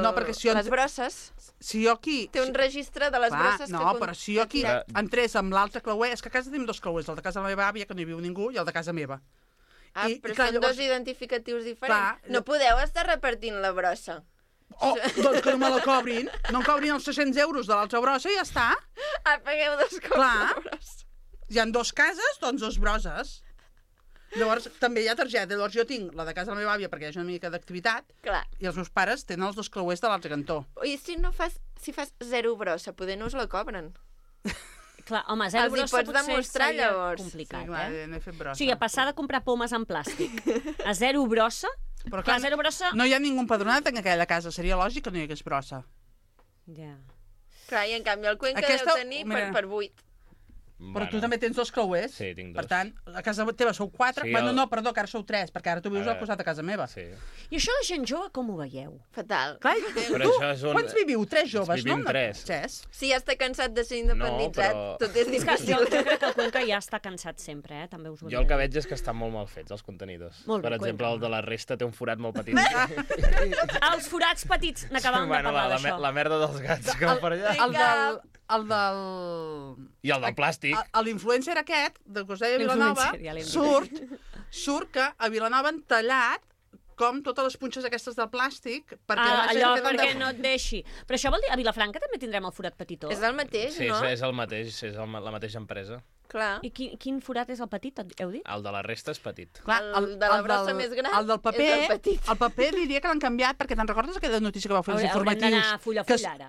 No, perquè si jo les brosses. Si jo aquí... Té un registre de les brosses que... No, però si jo aquí entrés amb l'altre clauer... És que a casa tenim dos clauers, el de casa de la meva àvia, que no hi viu ningú, i el de casa meva. Ah, però són dos identificatius diferents. Clar, no podeu estar repartint la brossa. Oh, doncs que no me la cobrin. No em cobrin els 600 euros de l'altra brossa i ja està. Ah, pagueu dos cops la brossa. Hi ha dos cases, doncs dos brosses. Llavors, també hi ha targeta. Llavors, jo tinc la de casa de la meva àvia perquè hi ha una mica d'activitat. Clar. I els meus pares tenen els dos clauers de l'altre cantó. I si fas zero brossa, poder no us la cobren. Clar, home, zero Els hi brossa pots potser demostrar, seria llavors. complicat, Sí, clar, eh? no he fet brossa. O sigui, a passar de comprar pomes en plàstic a zero brossa, Però clar, zero brossa... no hi ha ningú empadronat en aquella casa. Seria lògic que no hi hagués brossa. Ja. Clar, i en canvi el Cuenca Aquesta- deu tenir mira. per 8. Però tu també tens dos clauers. Sí, tinc Per dos. tant, a casa teva sou 4. Sí, Bueno, el- no, perdó, que ara sou 3, perquè ara tu vius al Ara- costat de casa meva. Sí. I això la gent jove com ho veieu? Fatal. Clar, Però tu, això és un... quants viviu? 3 joves, Vivim no? tres. Si ja està cansat de ser independitzat, No, però- tot és És que difícil. jo crec que el Cuenca ja està cansat sempre, també us ho Jo el que veig és que estan molt mal fets, els contenidors. Molt bé, Per exemple, Cuenca. el de la resta té un forat molt petit. Els forats petits, n'acabàvem de parlar d'això. la merda dels gats que va per allà. El del... I el del plàstic. L'influencer aquest, del costat de Vilanova, L'influencer, ja l'hem dit. surt que a Vilanova han tallat com totes les punxes aquestes del plàstic perquè la gent Allò, queden perquè no et deixi. Però això vol dir, a Vilafranca també tindrem el forat petitó? És el mateix, Sí, no? és el mateix, és la mateixa empresa. Clar. I quin forat és el petit, heu dit? El de la resta és petit. Clar, El de la brossa més gran el del paper, és el petit. el paper diria que l'han canviat perquè te'n recordes aquella notícia que va fer els Haurem informatius? d'anar full a full, ara.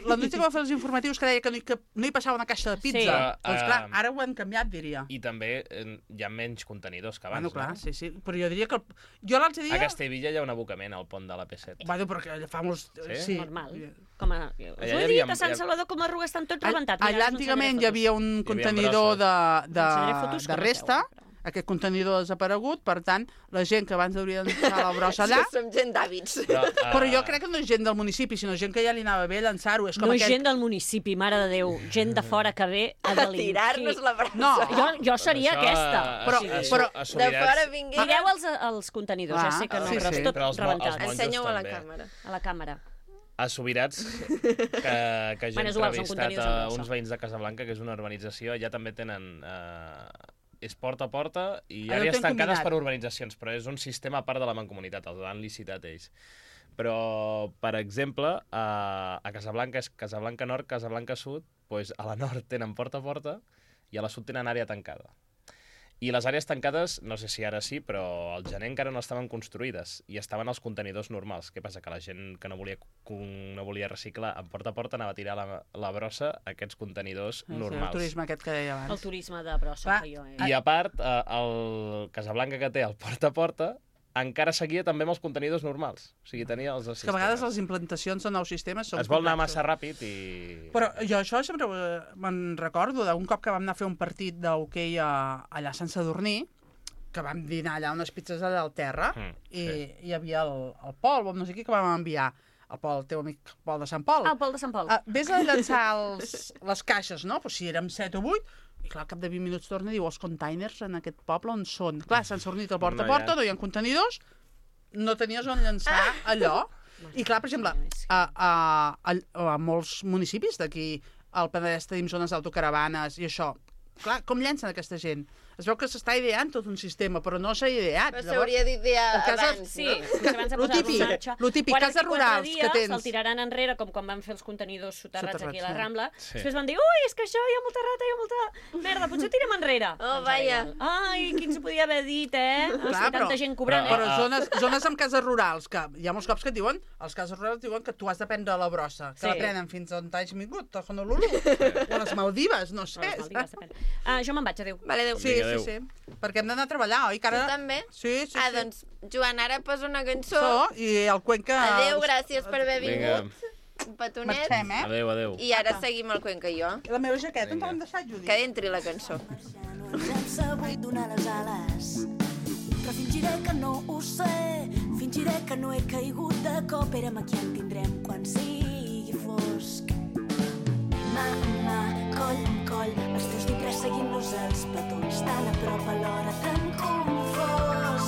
La notícia que va fer els informatius que deia que no hi passava una caixa de pizza. Sí. Doncs clar, ara ho han canviat, diria. I també hi ha menys contenidors que abans, Bueno, clar, no? sí, sí. Però jo diria que... Jo l'altre dia... A Castellvilla hi ha un abocament al pont de la P7. Bueno, perquè fa molts... Sí? Normal. Com a... Us Allà ho hi he havia- dit, a Sant Salvador com a Arruga estan tots rebentats. Allà antigament hi havia un contenidor fotos de que no resta, feu, aquest contenidor ha desaparegut, per tant, la gent que abans hauria d'ençar la brossa allà... Que som gent d'hàbits. Però jo crec que no és gent del municipi, sinó gent que ja li anava bé llançar-ho. És com No és aquest... gent del municipi, mare de Déu. Gent de fora que ve a delinquir. Tirar-nos la brossa. No. Jo seria aquesta. De fora vingués... Mireu els contenidors, ja sé que no, sí, però sí. és tot Però els rebentat. monjos Ensenyeu a la també. càmera. A la càmera. A Subirats, que jo he Bueno, és igual, són entrevistat contenidors a amb brossa. uns veïns de Casablanca, que és una urbanització, allà també tenen... és porta a porta i Allò àrees tenen tancades combinat. per urbanitzacions, però és un sistema a part de la mancomunitat, els han licitat ells. Però, per exemple, a Casablanca és Casablanca Nord, Casablanca Sud, doncs a la nord tenen porta a porta i a la sud tenen àrea tancada. I les àrees tancades, no sé si ara sí, però al gener encara no estaven construïdes i estaven els contenidors normals. Què passa? Que la gent que no volia reciclar en porta a porta anava a tirar la brossa a aquests contenidors El normals. turisme aquest que deia abans. El turisme de brossa Va. que jo he... I a part, el Casablanca que té el porta a porta encara seguia també amb els contenidors normals. O sigui, tenia els Que a vegades les implantacions de nous sistemes són es vol anar complexes. massa ràpid i... Però jo això sempre me'n recordo d'un cop que vam anar a fer un partit d'hoquei allà a Sant Sadurní, que vam dinar allà unes pizzas allà al terra, i hi havia el Pol, no sé qui, que vam enviar. El Pol, el teu amic Pol de Sant Pol. Ah, el Pol de Sant Pol. Ves a llançar les caixes, no? Pues si érem 7 o 8, i clar, al cap de 20 minuts torna i diu, els containers en aquest poble on són? Clar, s'han sortit al porta a porta, no hi ha contenidors, no tenies on llançar allò. I clar, per exemple, a molts municipis d'aquí, al Penedès tenim zones d'autocaravanes i això. Clar, com llancen aquesta gent? Es veu que s'està ideant tot un sistema, però no s'ha ideat. Però s'hauria d'idear abans, Sí, no? abans de posar-lo en marxa. Lo típic, cases rurals que tens. Se'l tiraran enrere, com quan van fer els contenidors soterrats aquí a la sí. Rambla. Sí. Després van dir, ui, és que això hi ha molta rata, hi ha molta merda, potser ho tirem enrere. Oh, Doncs vaja. ara igual. Ai, qui ens ho podia haver dit, eh? Clar, Tanta gent cobrant, però eh? zones amb cases rurals, que hi ha molts cops que et diuen, els cases rurals diuen que tu has de prendre la brossa, que Sí. la prenen fins on t'hagis vingut, a Honolulu, o a les Maldives, no sé. Jo me'n vaig, adéu. Vale, adéu. Sí, Adéu. sí. Perquè hem d'anar a treballar, oi? Que ara... Tu també? Sí. Doncs, Joan, ara posa una cançó. I el Cuenca... Adéu, gràcies per haver vingut. Un petonet. Marxem, Adéu. I ara seguim el Cuenca i jo. La meva jaqueta ens l'hem deixat, Judit. Que entri la cançó. No ens hem sabut donar les ales, però fingiré que no ho sé, fingiré que no he caigut de cop, érem aquí en tindrem quan sigui fosc. Mà en mà, coll en coll, els teus dits resseguint-nos els petons, tan a prop alhora tan confós.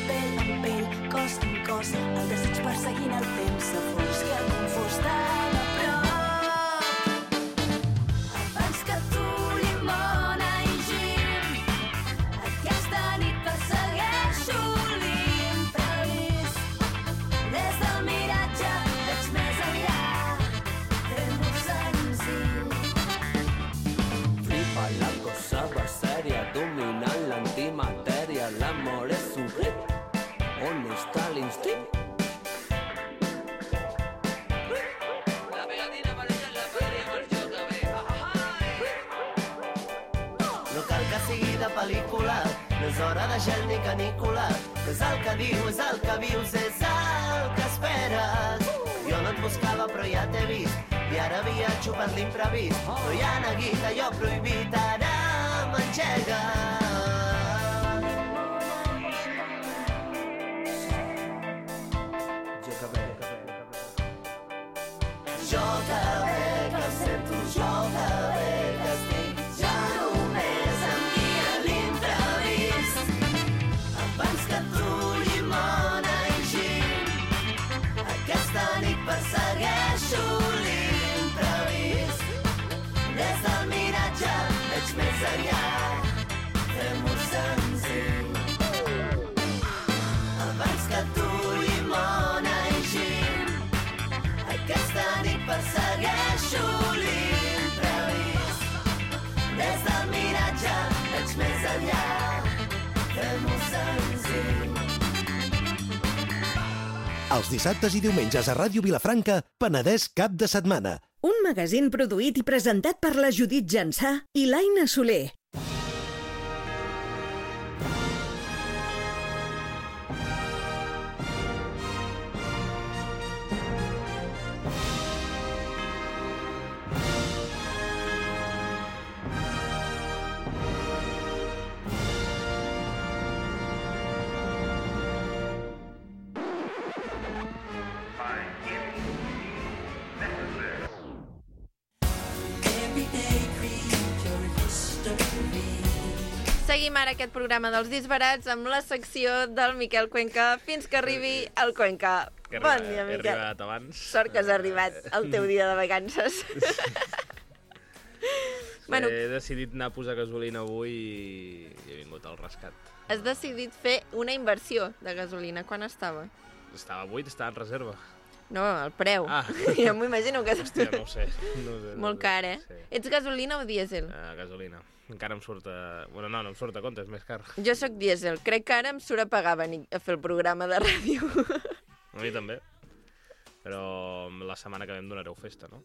Pell en pell, cos en cos, el desig perseguint el temps a fons, que el confós tan a prop. Abans que tu, llimona i gin, aquesta nit persegueixo l'imprevist. Des del miratge veig més enllà, fem-ho senzill. Flipa la cosa va seria, dominant l'antimatèria, l'amor és un hit. On està l'instint? La pegatina apareix en la fèria amb el joc a bé. No cal que sigui de pel·lícula, no és hora de gel ni canícula. És el que diu, és el que vius, és el que esperes. Jo no et buscava però ja t'he vist, i ara viatjo per l'imprevist. No hi ha neguit, allò prohibit, ara m'engega. Joga bé, que em sento, joga bé, que estic ja només amb guia l'imprevist. Abans que tu, llimona i gin, aquesta nit persegueixo l'imprevist. Des del miratge veig més enllà, fem-ho senzill. Abans que tu, llimona i gin, aquesta nit persegueixo l'imprevist. Des del miratge veig més enllà, fem-ho senzill. Els dissabtes i diumenges a Ràdio Vilafranca, Penedès cap de setmana. Un magazín produït i presentat per la Judit Jansà i l'Aina Soler. Seguim ara aquest programa dels disbarats amb la secció del Miquel Cuenca fins que arribi el Cuenca. Bon dia, Miquel. He arribat abans. Sort que has arribat al teu dia de vacances. Bueno, he decidit anar a posar gasolina avui i he vingut al rescat. Has decidit fer una inversió de gasolina. Quan estava? Estava buit, estava en reserva. No, el preu. Ja m'ho imagino que... Hòstia, no ho sé. Molt car, eh? Sí. Ets gasolina o dièsel? Gasolina. Encara em surt a... Bueno, no em surt a compte, és més car. Jo sóc dièsel. Crec que ara em surt a pagar venir a fer el programa de ràdio. A mi també. Però la setmana que ve em donareu festa, no?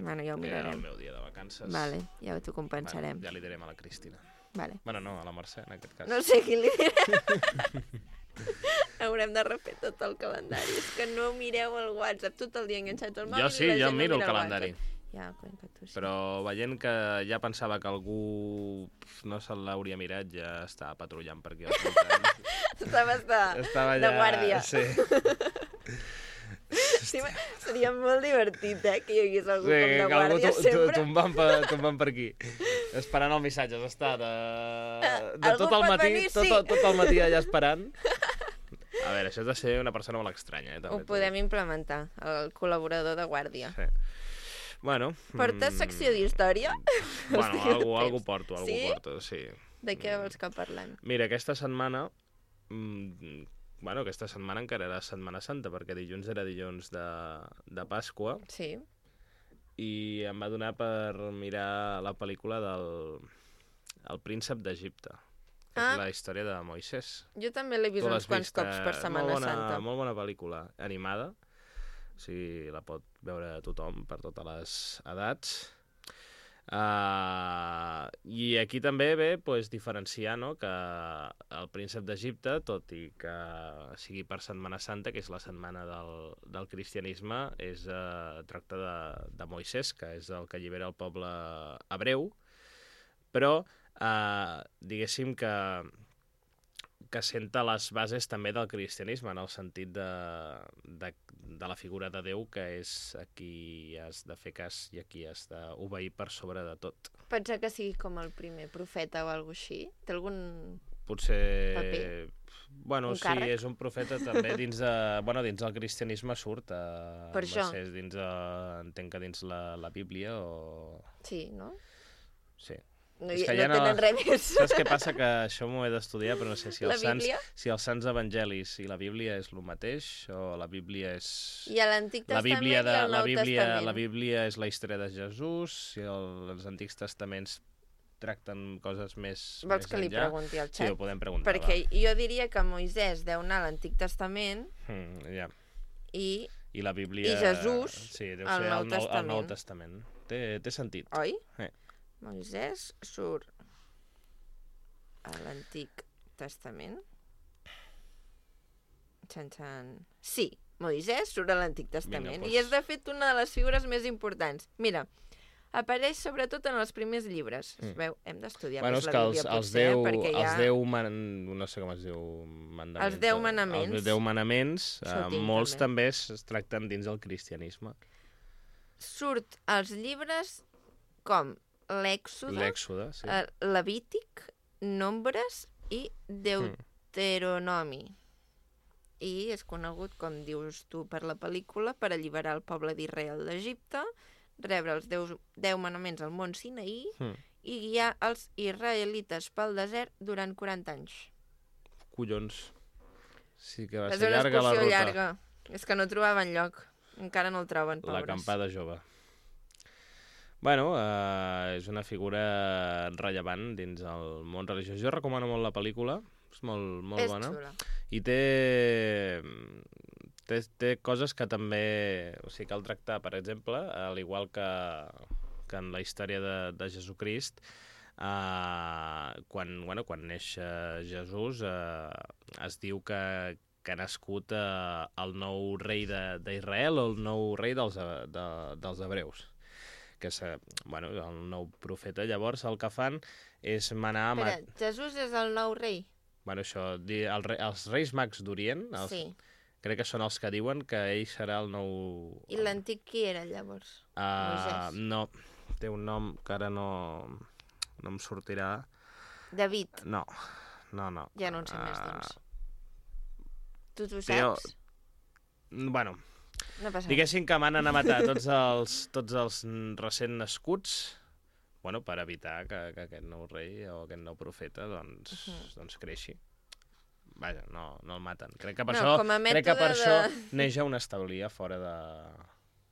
Bueno, ja ho mirarem. Era el meu dia de vacances. Vale, ja t'ho compensarem. Bueno, ja li direm a la Cristina. Vale. Bueno, no, a la Mercè, en aquest cas. No sé qui li direm. Haurem de refer tot el calendari. És que no mireu el WhatsApp tot el dia enganxat al mòbil. Jo sí, jo miro el calendari. Ja, Cuenca, tu sí. Però veient que ja pensava que algú no se l'hauria mirat, ja estava patrullant per aquí al voltant. Estava de guàrdia. Sí. Sí, seria molt divertit, que hi hagués algú com de guàrdia sempre. Tombant per aquí. Esperant el missatge, està de tot el matí, tot el matí allà esperant. A veure, això has de ser una persona molt estranya. Ho podem implementar, el col·laborador de guàrdia. Sí. Bueno... Portes secció d'història? Bueno, algú porto, sí. De què vols que parlem? Mira, aquesta setmana... Bueno, aquesta setmana encara era Setmana Santa, perquè dilluns era dilluns de Pasqua. Sí. I em va donar per mirar la pel·lícula del El príncep d'Egipte. És la història de Moisès. Jo també l'he vist uns quants cops per Setmana Santa. Molt bona pel·lícula, animada. O sigui, la pot veure tothom, per totes les edats. I aquí també ve diferenciar, no?, que el príncep d'Egipte, tot i que sigui per Setmana Santa, que és la setmana del cristianisme, tracta de Moisès, que és el que allibera el poble hebreu, però diguéssim que senta les bases també del cristianisme, en el sentit de la figura de Déu, que és a qui has de fer cas i a qui has d'obeir per sobre de tot. Pensa que sigui com el primer profeta o alguna cosa així? Té algun Potser... paper? Bueno, Un càrrec? sí, és un profeta també dins del cristianisme surt. Per això. Entenc que dins la Bíblia o... Sí, no? Sí. No, És que no tenen res més. Saps què passa? Que això m'ho he d'estudiar, però no sé si La Bíblia? si els sants evangelis i la Bíblia és el mateix, o la Bíblia és... I a l'Antic Testament i al Nou Testament. La Bíblia és la història de Jesús, i els Antics Testaments tracten coses més Vols que li enllà. pregunti al xat? Sí, ho podem preguntar. Perquè jo diria que Moisès deu anar a l'Antic Testament ja. i la Bíblia... i Jesús sí, deu al ser Nou Testament. el Nou Testament. Té sentit. Oi? Sí. Moisès surt a l'Antic Testament. Sí, Moisès surt a l'Antic Testament. Vinga, doncs. I és, de fet, una de les figures més importants. Mira, apareix sobretot en els primers llibres. Es veu, hem d'estudiar més la Bíblia, potser, perquè hi ha... no sé com es diu... Mandaments, Els 10 manaments. Els 10 manaments, Això ho tinc, molts també es tracten dins el cristianisme. Surt als llibres com l'Èxode, sí. Levític, Nombres i Deuteronomi. I és conegut, com dius tu, per la pel·lícula, per alliberar el poble d'Israel d'Egipte, rebre els 10 manaments al mont Sinaí i guiar els israelites pel desert durant 40 anys. Collons. Sí que va És ser una llarga la excursió ruta. llarga. És que no trobaven lloc. Encara no el troben, pobres. L'acampada jove. Bueno, és una figura rellevant dins el món religiós. Jo recomano molt la pel·lícula, és molt bona. És xula. I té coses que també... O sigui, cal tractar, per exemple, al igual que en la història de Jesucrist, quan neix Jesús, es diu que ha nascut el nou rei d'Israel o el nou rei dels hebreus. Que és el nou profeta. Llavors el que fan és manar... Espera, Jesús és el nou rei? Bueno, això, els reis mags d'Orient, sí. Crec que són els que diuen que ell serà el nou... I l'antic qui era, llavors? No, té un nom que ara no em sortirà. David? No. Ja no en sé més, doncs. Tu t'ho saps? Bueno... No passa Diguéssim que m'han a matar tots els recent nascuts, per evitar que aquest nou rei o aquest nou profeta doncs creixi. Vaja, no el maten. Crec que per això neix a un establir fora de...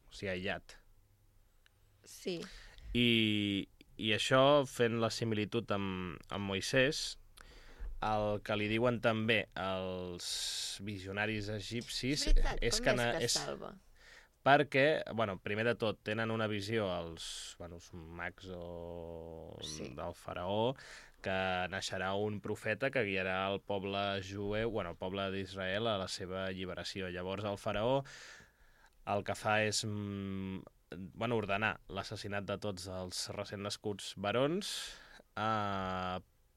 O sigui, aïllat. Sí. I això, fent la similitud amb Moisès, el que li diuen també els visionaris egipcis... És veritat, com és que salva? Perquè, primer de tot, tenen una visió els mags del faraó, que naixerà un profeta que guiarà el poble jueu, el poble d'Israel, a la seva alliberació. Llavors el faraó el que fa és ordenar l'assassinat de tots els recent nascuts barons,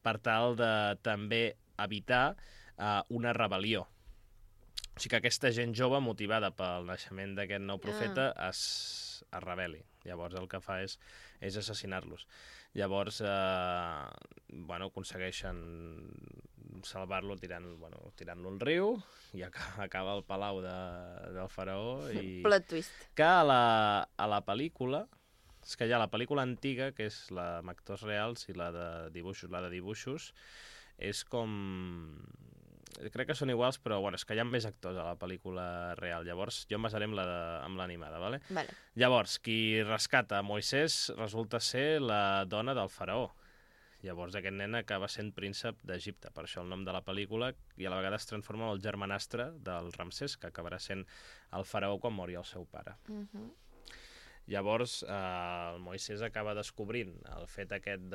per tal de també evitar una rebel·lió. O sigui que aquesta gent jove, motivada pel naixement d'aquest nou profeta, es rebel·li. Llavors el que fa és assassinar-los. Llavors, aconsegueixen salvar-lo tirant-lo al riu, i acaba al palau del faraó. Plot twist. Que a la pel·lícula... És que hi ha la pel·lícula antiga, que és la amb actors reals, i la de dibuixos, és com... Crec que són iguals, però és que hi ha més actors a la pel·lícula real. Llavors, jo em basaré amb l'animada, ¿vale? Vale. Llavors, qui rescata Moisès resulta ser la dona del faraó. Llavors, aquest nen acaba sent príncep d'Egipte, per això el nom de la pel·lícula, i a la vegada es transforma en el germanastre del Ramsès, que acabarà sent el faraó quan mori el seu pare. Llavors, el Moisès acaba descobrint el fet aquest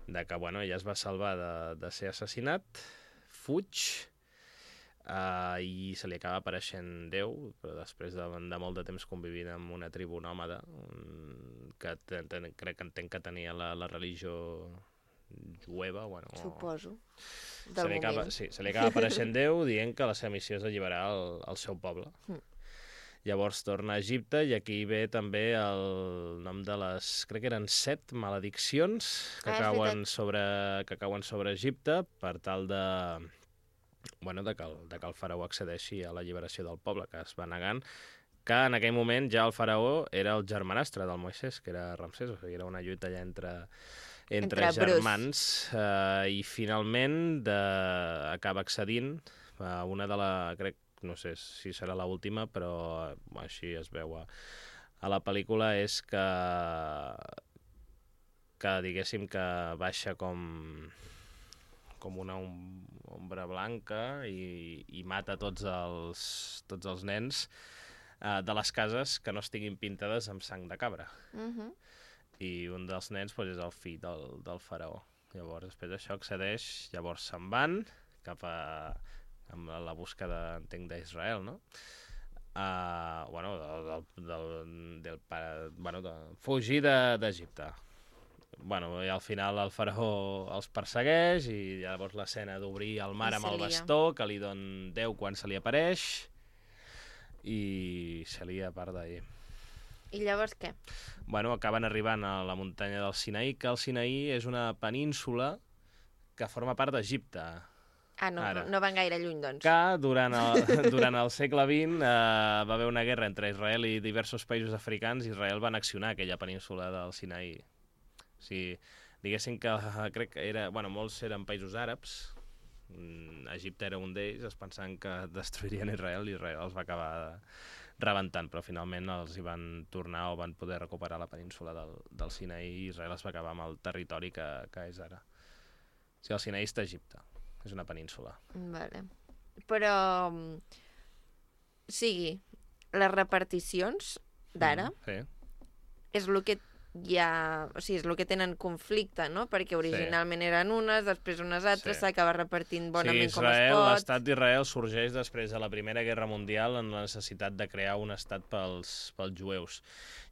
de que, bueno, ella es va salvar de ser assassinat, fuig, i se li acaba apareixent Déu, però després de molt de temps convivint amb una tribu nòmada, que crec que entenc que tenia la religió jueva, bueno... Suposo, del moment. Sí, se li acaba apareixent Déu dient que la seva missió és alliberar el seu poble. Llavors torna a Egipte i aquí ve també el nom de les... crec que eren 7 malediccions que cauen sobre Egipte per tal de... bueno, de que el faraó accedeixi a la alliberació del poble, que es va negant, que en aquell moment ja el faraó era el germanastre del Moisès, que era Ramsès, o sigui, era una lluita allà entre germans, i finalment acaba accedint a una de crec, no sé si serà l'última, però així es veu a la pel·lícula, és que diguéssim que baixa com una ombra blanca i mata tots els nens de les cases que no estiguin pintades amb sang de cabra. I un dels nens és el fill del faraó. Llavors, després d'això accedeix, llavors se'n van cap amb la búsqueda, entenc, d'Israel, no? De fugir d'Egipte. Bueno, i al final el faraó els persegueix i llavors l'escena d'obrir el mar amb el bastó que li don Déu quan se li apareix i se lia a part d'ahir. I llavors què? Bueno, acaben arribant a la muntanya del Sinaí, que el Sinaí és una península que forma part d'Egipte. No van gaire lluny, doncs. Que durant el segle XX va haver una guerra entre Israel i diversos països africans i Israel va annexionar aquella península del Sinaí. O sigui, diguéssim que crec que molts eren països àrabs, Egipte era un d'ells, es pensaven que destruirien Israel i Israel els va acabar rebentant, però finalment els hi van tornar o van poder recuperar la península del Sinaí i Israel es va acabar amb el territori que és ara. O sigui, el Sinaí està a Egipte, és una península. Vale. Però, les reparticions d'ara és el que és el que tenen conflicte, no? Perquè originalment eren unes, després unes altres, s'acaba repartint bonament com es pot. L'estat d'Israel sorgeix després de la Primera Guerra Mundial en la necessitat de crear un estat pels jueus.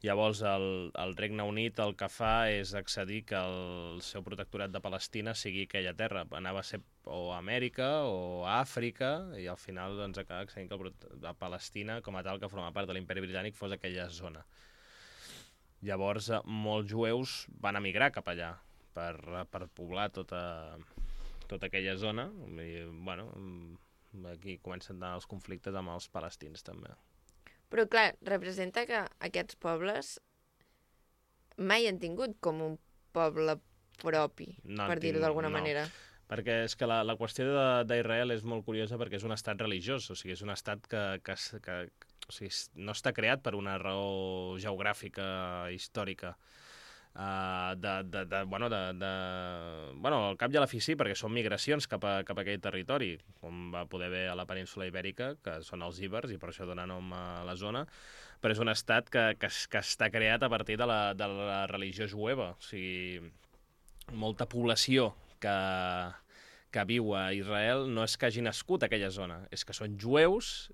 Llavors el Regne Unit el que fa és accedir que el seu protectorat de Palestina sigui aquella terra. Anava a ser o a Amèrica o a Àfrica i al final acaba accedint que Palestina com a tal que forma part de l'Imperi Britànic fos aquella zona. Llavors, molts jueus van emigrar cap allà per poblar tota aquella zona. I, bueno, aquí comencen els conflictes amb els palestins, també. Però, clar, representa que aquests pobles mai han tingut com un poble propi, per dir-ho d'alguna manera. Perquè és que la qüestió d'Israel és molt curiosa perquè és un estat religiós, o sigui, és un estat que o sigui, no està creat per una raó geogràfica, històrica. Al cap i a la fi sí, perquè són migracions cap a aquell territori, com va poder haver a la península Ibèrica, que són els íbers, i per això dona nom a la zona, però és un estat que està creat a partir de la religió jueva. O sigui, molta població que viu a Israel no és que hagi nascut a aquella zona, és que són jueus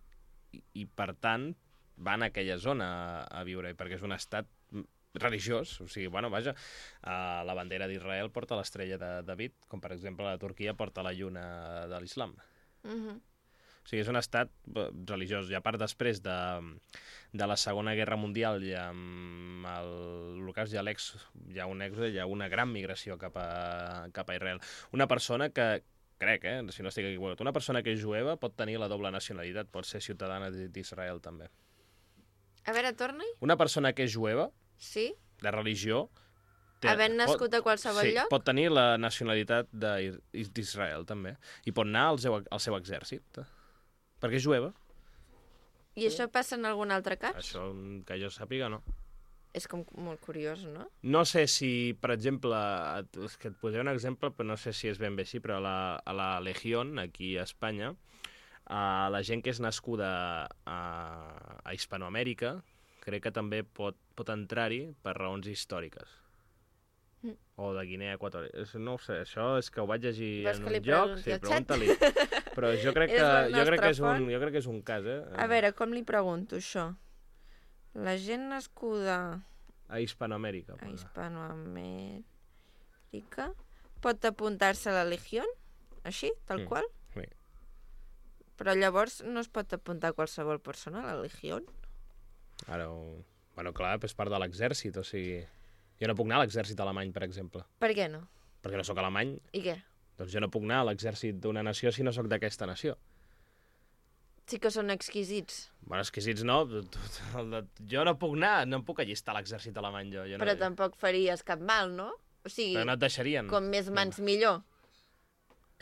i per tant van a aquella zona a viure, perquè és un estat religiós, o sigui, vaja, la bandera d'Israel porta l'estrella de David, com per exemple la Turquia porta la lluna de l'islam. O sigui, és un estat religiós, i a part després de la Segona Guerra Mundial i amb l'Holocaust hi ha un èxode, hi ha una gran migració cap a Israel. Una persona que crec, si no estic equivocat, una persona que és jueva pot tenir la doble nacionalitat, pot ser ciutadana d'Israel també. A veure, torna-hi. Una persona que és jueva, de religió... Havent nascut a qualsevol lloc? Pot tenir la nacionalitat d'Israel també, i pot anar al seu exèrcit, perquè és jueva. I això passa en algun altre cas? Això, que jo sàpiga, no. És com molt curiós, no? No sé si, per exemple, és que et posaré un exemple, però no sé si és ben bé així, però a la Legión, aquí a Espanya, la gent que és nascuda a Hispanoamèrica, crec que també pot entrar-hi per raons històriques. O de Guinea Equatorial. No ho sé, això és que ho vaig llegir en un lloc. Sí, pregunta-li. Però jo crec que és un cas, eh? A veure, com li pregunto això? La gent nascuda... A Hispanoamèrica. A Hispanoamèrica pot apuntar-se a la Legión? Així, tal qual? Sí. Però llavors no es pot apuntar qualsevol persona a la Legión? Ara, bueno, clar, és part de l'exèrcit, o sigui... Jo no puc anar a l'exèrcit alemany, per exemple. Per què no? Perquè no sóc alemany. I què? Doncs jo no puc anar a l'exèrcit d'una nació si no sóc d'aquesta nació. Sí que són exquisits. Bueno, exquisits no. Jo no puc anar, no em puc allistar a l'exèrcit alemany, jo. Però tampoc faries cap mal, no? O sigui, però no et deixarien. Com més mans millor.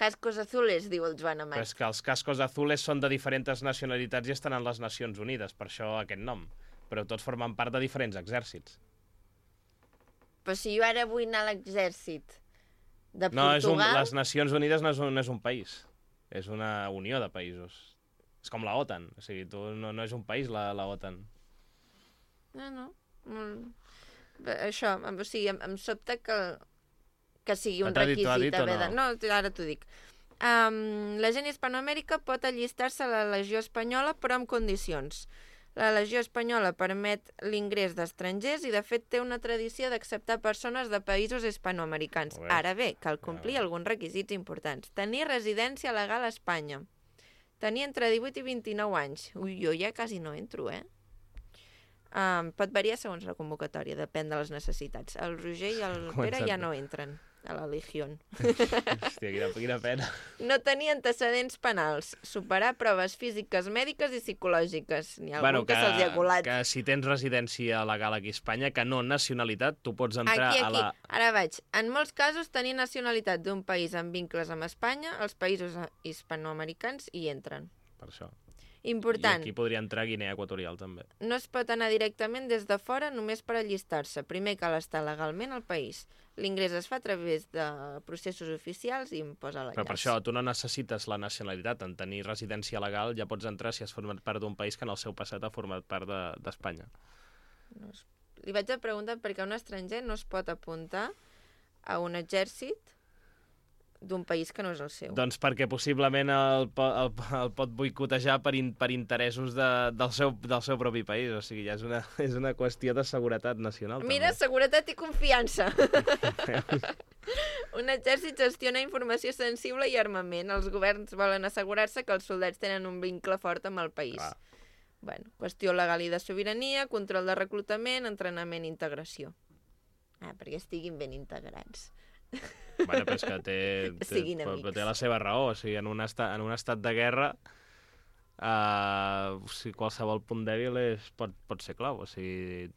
Cascos azules, diu el Joan Amat. Però és que els cascos azules són de diferents nacionalitats i estan en les Nacions Unides, per això aquest nom. Però tots formen part de diferents exèrcits. Però si jo ara vull anar a l'exèrcit de Portugal... No, les Nacions Unides no és un país. És una unió de països. És com la OTAN. O sigui, no és un país, la OTAN. No. Això, o sigui, em sobta que sigui un requisit haver de... No, ara t'ho dic. La gent hispanoamèrica pot allistar-se a la Legió Espanyola, però amb condicions. La Legió Espanyola permet l'ingrés d'estrangers i, de fet, té una tradició d'acceptar persones de països hispanoamericans. Ara bé, cal complir alguns requisits importants. Tenir residència legal a Espanya. Tenir entre 18 i 29 anys. Ui, jo ja quasi no entro, eh? Pot variar segons la convocatòria, depèn de les necessitats. El Roger i el Pere ja no entren a la Legión. Hòstia, quina pena. No tenir antecedents penals, superar proves físiques, mèdiques i psicològiques. N'hi ha algun que se'ls ha colat. Que si tens residència legal aquí a Espanya, que no nacionalitat, tu pots entrar a la... Ara vaig. En molts casos, tenir nacionalitat d'un país amb vincles amb Espanya, els països hispanoamericans hi entren. Per això. Important. I aquí podria entrar Guinea Equatorial, també. No es pot anar directament des de fora només per allistar-se. Primer cal estar legalment al país. L'ingrés es fa a través de processos oficials i em posa l'enllaç. Però per això tu no necessites la nacionalitat. En tenir residència legal ja pots entrar si has format part d'un país que en el seu passat ha format part d'Espanya. Li vaig a preguntar per què un estranger no es pot apuntar a un exèrcit d'un país que no és el seu. Doncs perquè possiblement el pot boicotejar per interessos del seu propi país. O sigui, ja és una qüestió de seguretat nacional. Mira, també. Seguretat i confiança. Un exèrcit gestiona informació sensible i armament. Els governs volen assegurar-se que els soldats tenen un vincle fort amb el país. Bueno, qüestió legal i de sobirania, control de reclutament, entrenament i integració. Perquè estiguin ben integrats. Bueno, però és que té la seva raó. O sigui, en un estat de guerra, qualsevol punt dèbil pot ser clau. O sigui,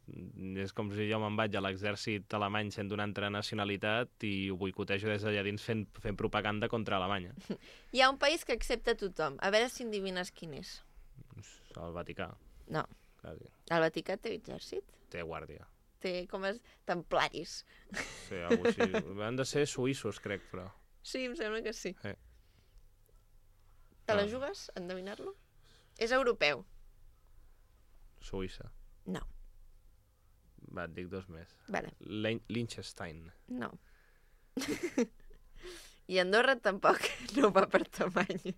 és com si jo me'n vaig a l'exèrcit alemany sent d'una altra nacionalitat i ho boicotejo des d'allà dins fent propaganda contra Alemanya. Hi ha un país que accepta tothom. A veure si endevines quin és. El Vaticà. No. Quasi. El Vaticà té exèrcit? Té guàrdia. Té com els templaris. Sí, alguna cosa així. Han de ser suïssos, crec, però... Sí, em sembla que sí. Te la jugues, endevinar-lo? És europeu. Suïssa. No. Va, et dic dos més. Vale. Liechtenstein. No. I Andorra tampoc no va per tamany.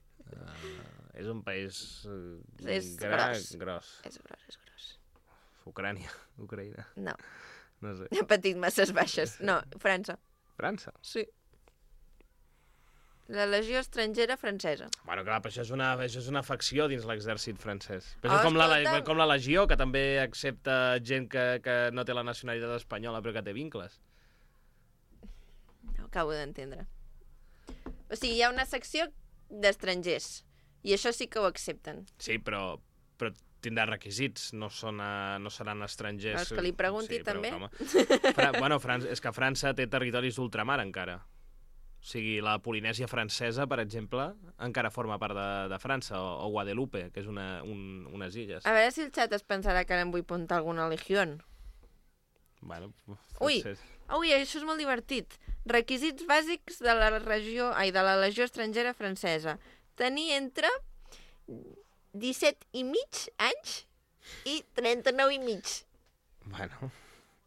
És un país gros. És gros. Ucraïna. No. No sé. He patit masses baixes. No, França. França? Sí. La Legió Estrangera Francesa. Bueno, clar, però això és una facció dins l'exèrcit francès. Però és com la Legió, que també accepta gent que no té la nacionalitat espanyola però que té vincles. No acabo d'entendre. O sigui, hi ha una secció d'estrangers i això sí que ho accepten. Sí, però tindrà requisits, no seran estrangers... Els que li pregunti, també? Bueno, és que França té territoris d'ultramar, encara. O sigui, la Polinèsia francesa, per exemple, encara forma part de França, o Guadeloupe, que és unes illes. A veure si el xat es pensarà que ara em vull apuntar alguna legió. Bueno, Ui, això és molt divertit. Requisits bàsics de la Legió Estrangera Francesa. Tenir entre 17 i mig anys i 39 i mig. Bueno,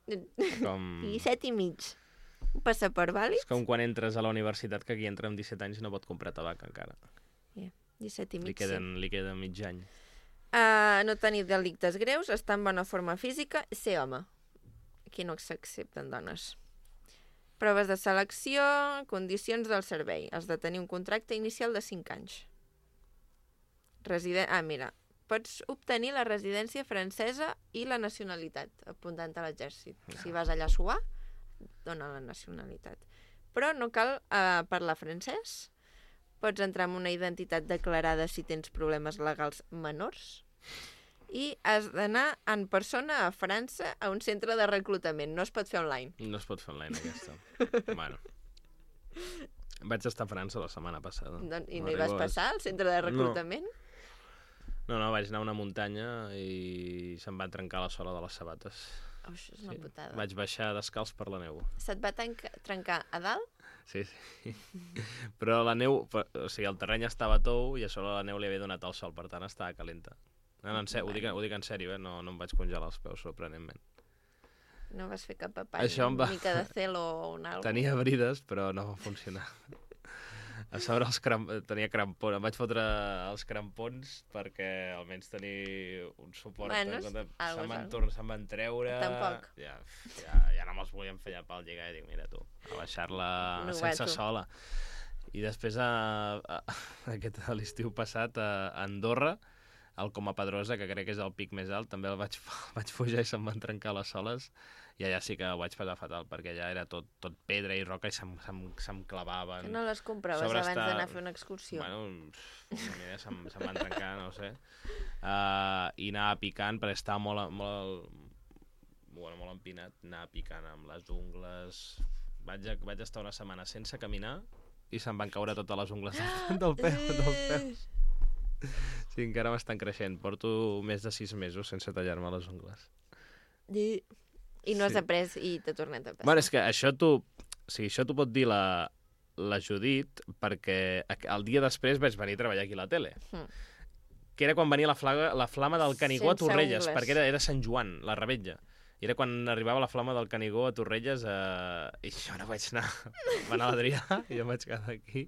I 7 i mig. Un passaport vàlid? És com quan entres a la universitat, que aquí entra amb 17 anys i no pot comprar tabac encara. 17 i mig, Li queda mig any. No tenir delictes greus, estar en bona forma física, ser home. Aquí no s'accepten dones. Proves de selecció, condicions del servei. Has de tenir un contracte inicial de 5 anys. Mira, pots obtenir la residència francesa i la nacionalitat, apuntant a l'exèrcit. Si vas allà a suar, dona la nacionalitat. Però no cal parlar francès. Pots entrar amb una identitat declarada si tens problemes legals menors. I has d'anar en persona a França a un centre de reclutament. No es pot fer online. No es pot fer online, aquesta. Bueno. Vaig estar a França la setmana passada. I no hi vas passar, al centre de reclutament? No, vaig anar a una muntanya i se'm va trencar la sola de les sabates. Això és una putada. Vaig baixar descalç per la neu. Se't va trencar a dalt? Sí. Però la neu, o sigui, el terreny estava tou i a sobre la neu li havia donat el sol, per tant estava calenta. No, ho dic en sèrio, no em vaig congelar els peus, sorprenentment. No vas fer cap apany, una mica de celo o un algo? Tenia brides, però no va funcionar. A sobre tenia crampons, em vaig fotre els crampons perquè almenys tenir un suport. Se'm van treure. Tampoc. Ja no me'ls volien fer llapar al lligar i dic, mira tu, a baixar-la sense sola. I després, l'estiu passat, a Andorra, el Coma Pedrosa, que crec que és el pic més alt, també el vaig pujar i se'm van trencar les soles, i allà sí que ho vaig passar fatal, perquè allà era tot pedra i roca i se'm clavaven. Que no les compraves abans d'anar a fer una excursió? Bueno, mira, se'm van trencar, no ho sé. I anava picant, perquè estava molt empinat, anava picant amb les ungles. Vaig estar una setmana sense caminar i se'm van caure totes les ungles dels peus. Sí, encara m'estan creixent. Porto més de 6 mesos sense tallar-me les ungles. I no has après i t'ha tornat a passar. Bueno, és que això t'ho pot dir la Judit, perquè el dia després vaig venir a treballar aquí a la tele. Que era quan venia la flama del Canigó a Torrelles, perquè era Sant Joan, la revetlla. I era quan arribava la flama del Canigó a Torrelles i jo no vaig anar. Va anar l'Adrià i jo em vaig quedar aquí.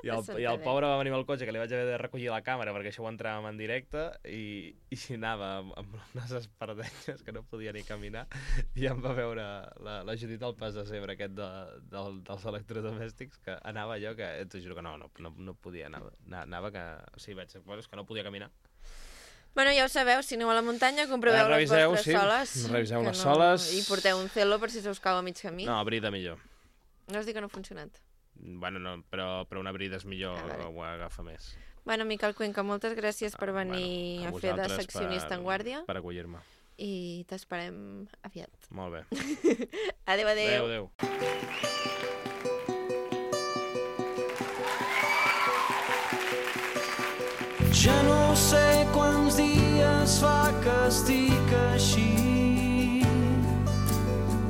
I el pobre va venir amb el cotxe, que li vaig haver de recollir la càmera perquè això ho entràvem en directe i anava amb unes espardenyes que no podia ni caminar i em va veure la Judit al pas de zebra aquest dels electrodomèstics, que anava allò que, t'ho juro que no podia anar. Anava que... Sí, és que no podia caminar. Bueno, ja ho sabeu, si aneu a la muntanya, comproveu les vostres soles. Reviseu les soles. I porteu un celo per si se us cau a mig camí. No, brida millor. No us dic que no ha funcionat. Bueno, no, però una brida és millor, ho agafa més. Bueno, Miquel Cuenca, moltes gràcies per venir a fer de seccionista en guàrdia. Per acollir-me. I t'esperem aviat. Molt bé. Adéu. Adéu. Ja no sé quants dies fa que estic així,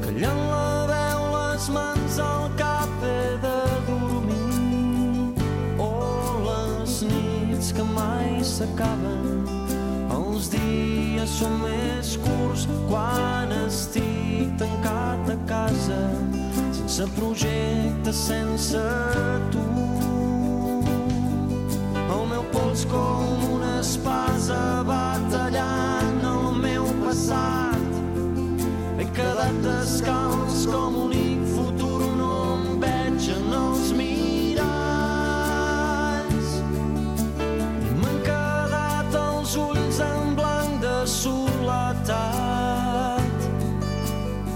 callant la veu, les mans al cap, he de dormir. Oh, les nits que mai s'acaben, els dies són més curts quan estic tancat a casa, sense projecte, sense tu. El meu pols com una espasa va tallant el meu passat. He quedat descalç com únic futur, no em veig en els miralls. I m'han quedat els ulls en blanc de soledat.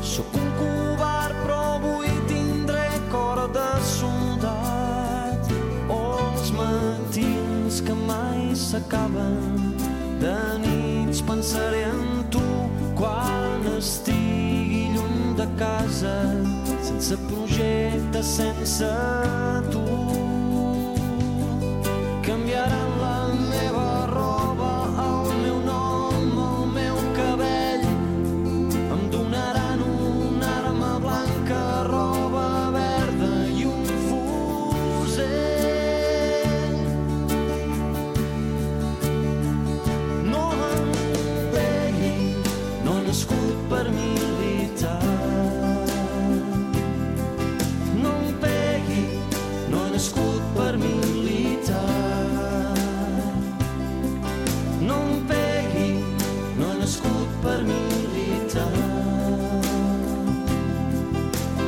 Sóc un covard però avui tindré cor de soldat. Els matins que mai s'acaben, de nits pensaré en tu quan estigui lluny de casa, sense projecte, sense tu. Canviaran la meva roba, el meu nom, el meu cabell, em donaran una arma blanca, roba verda i un fusell. No em per militar. No em pegui, no he nascut per militar. No em pegui, no he nascut per militar.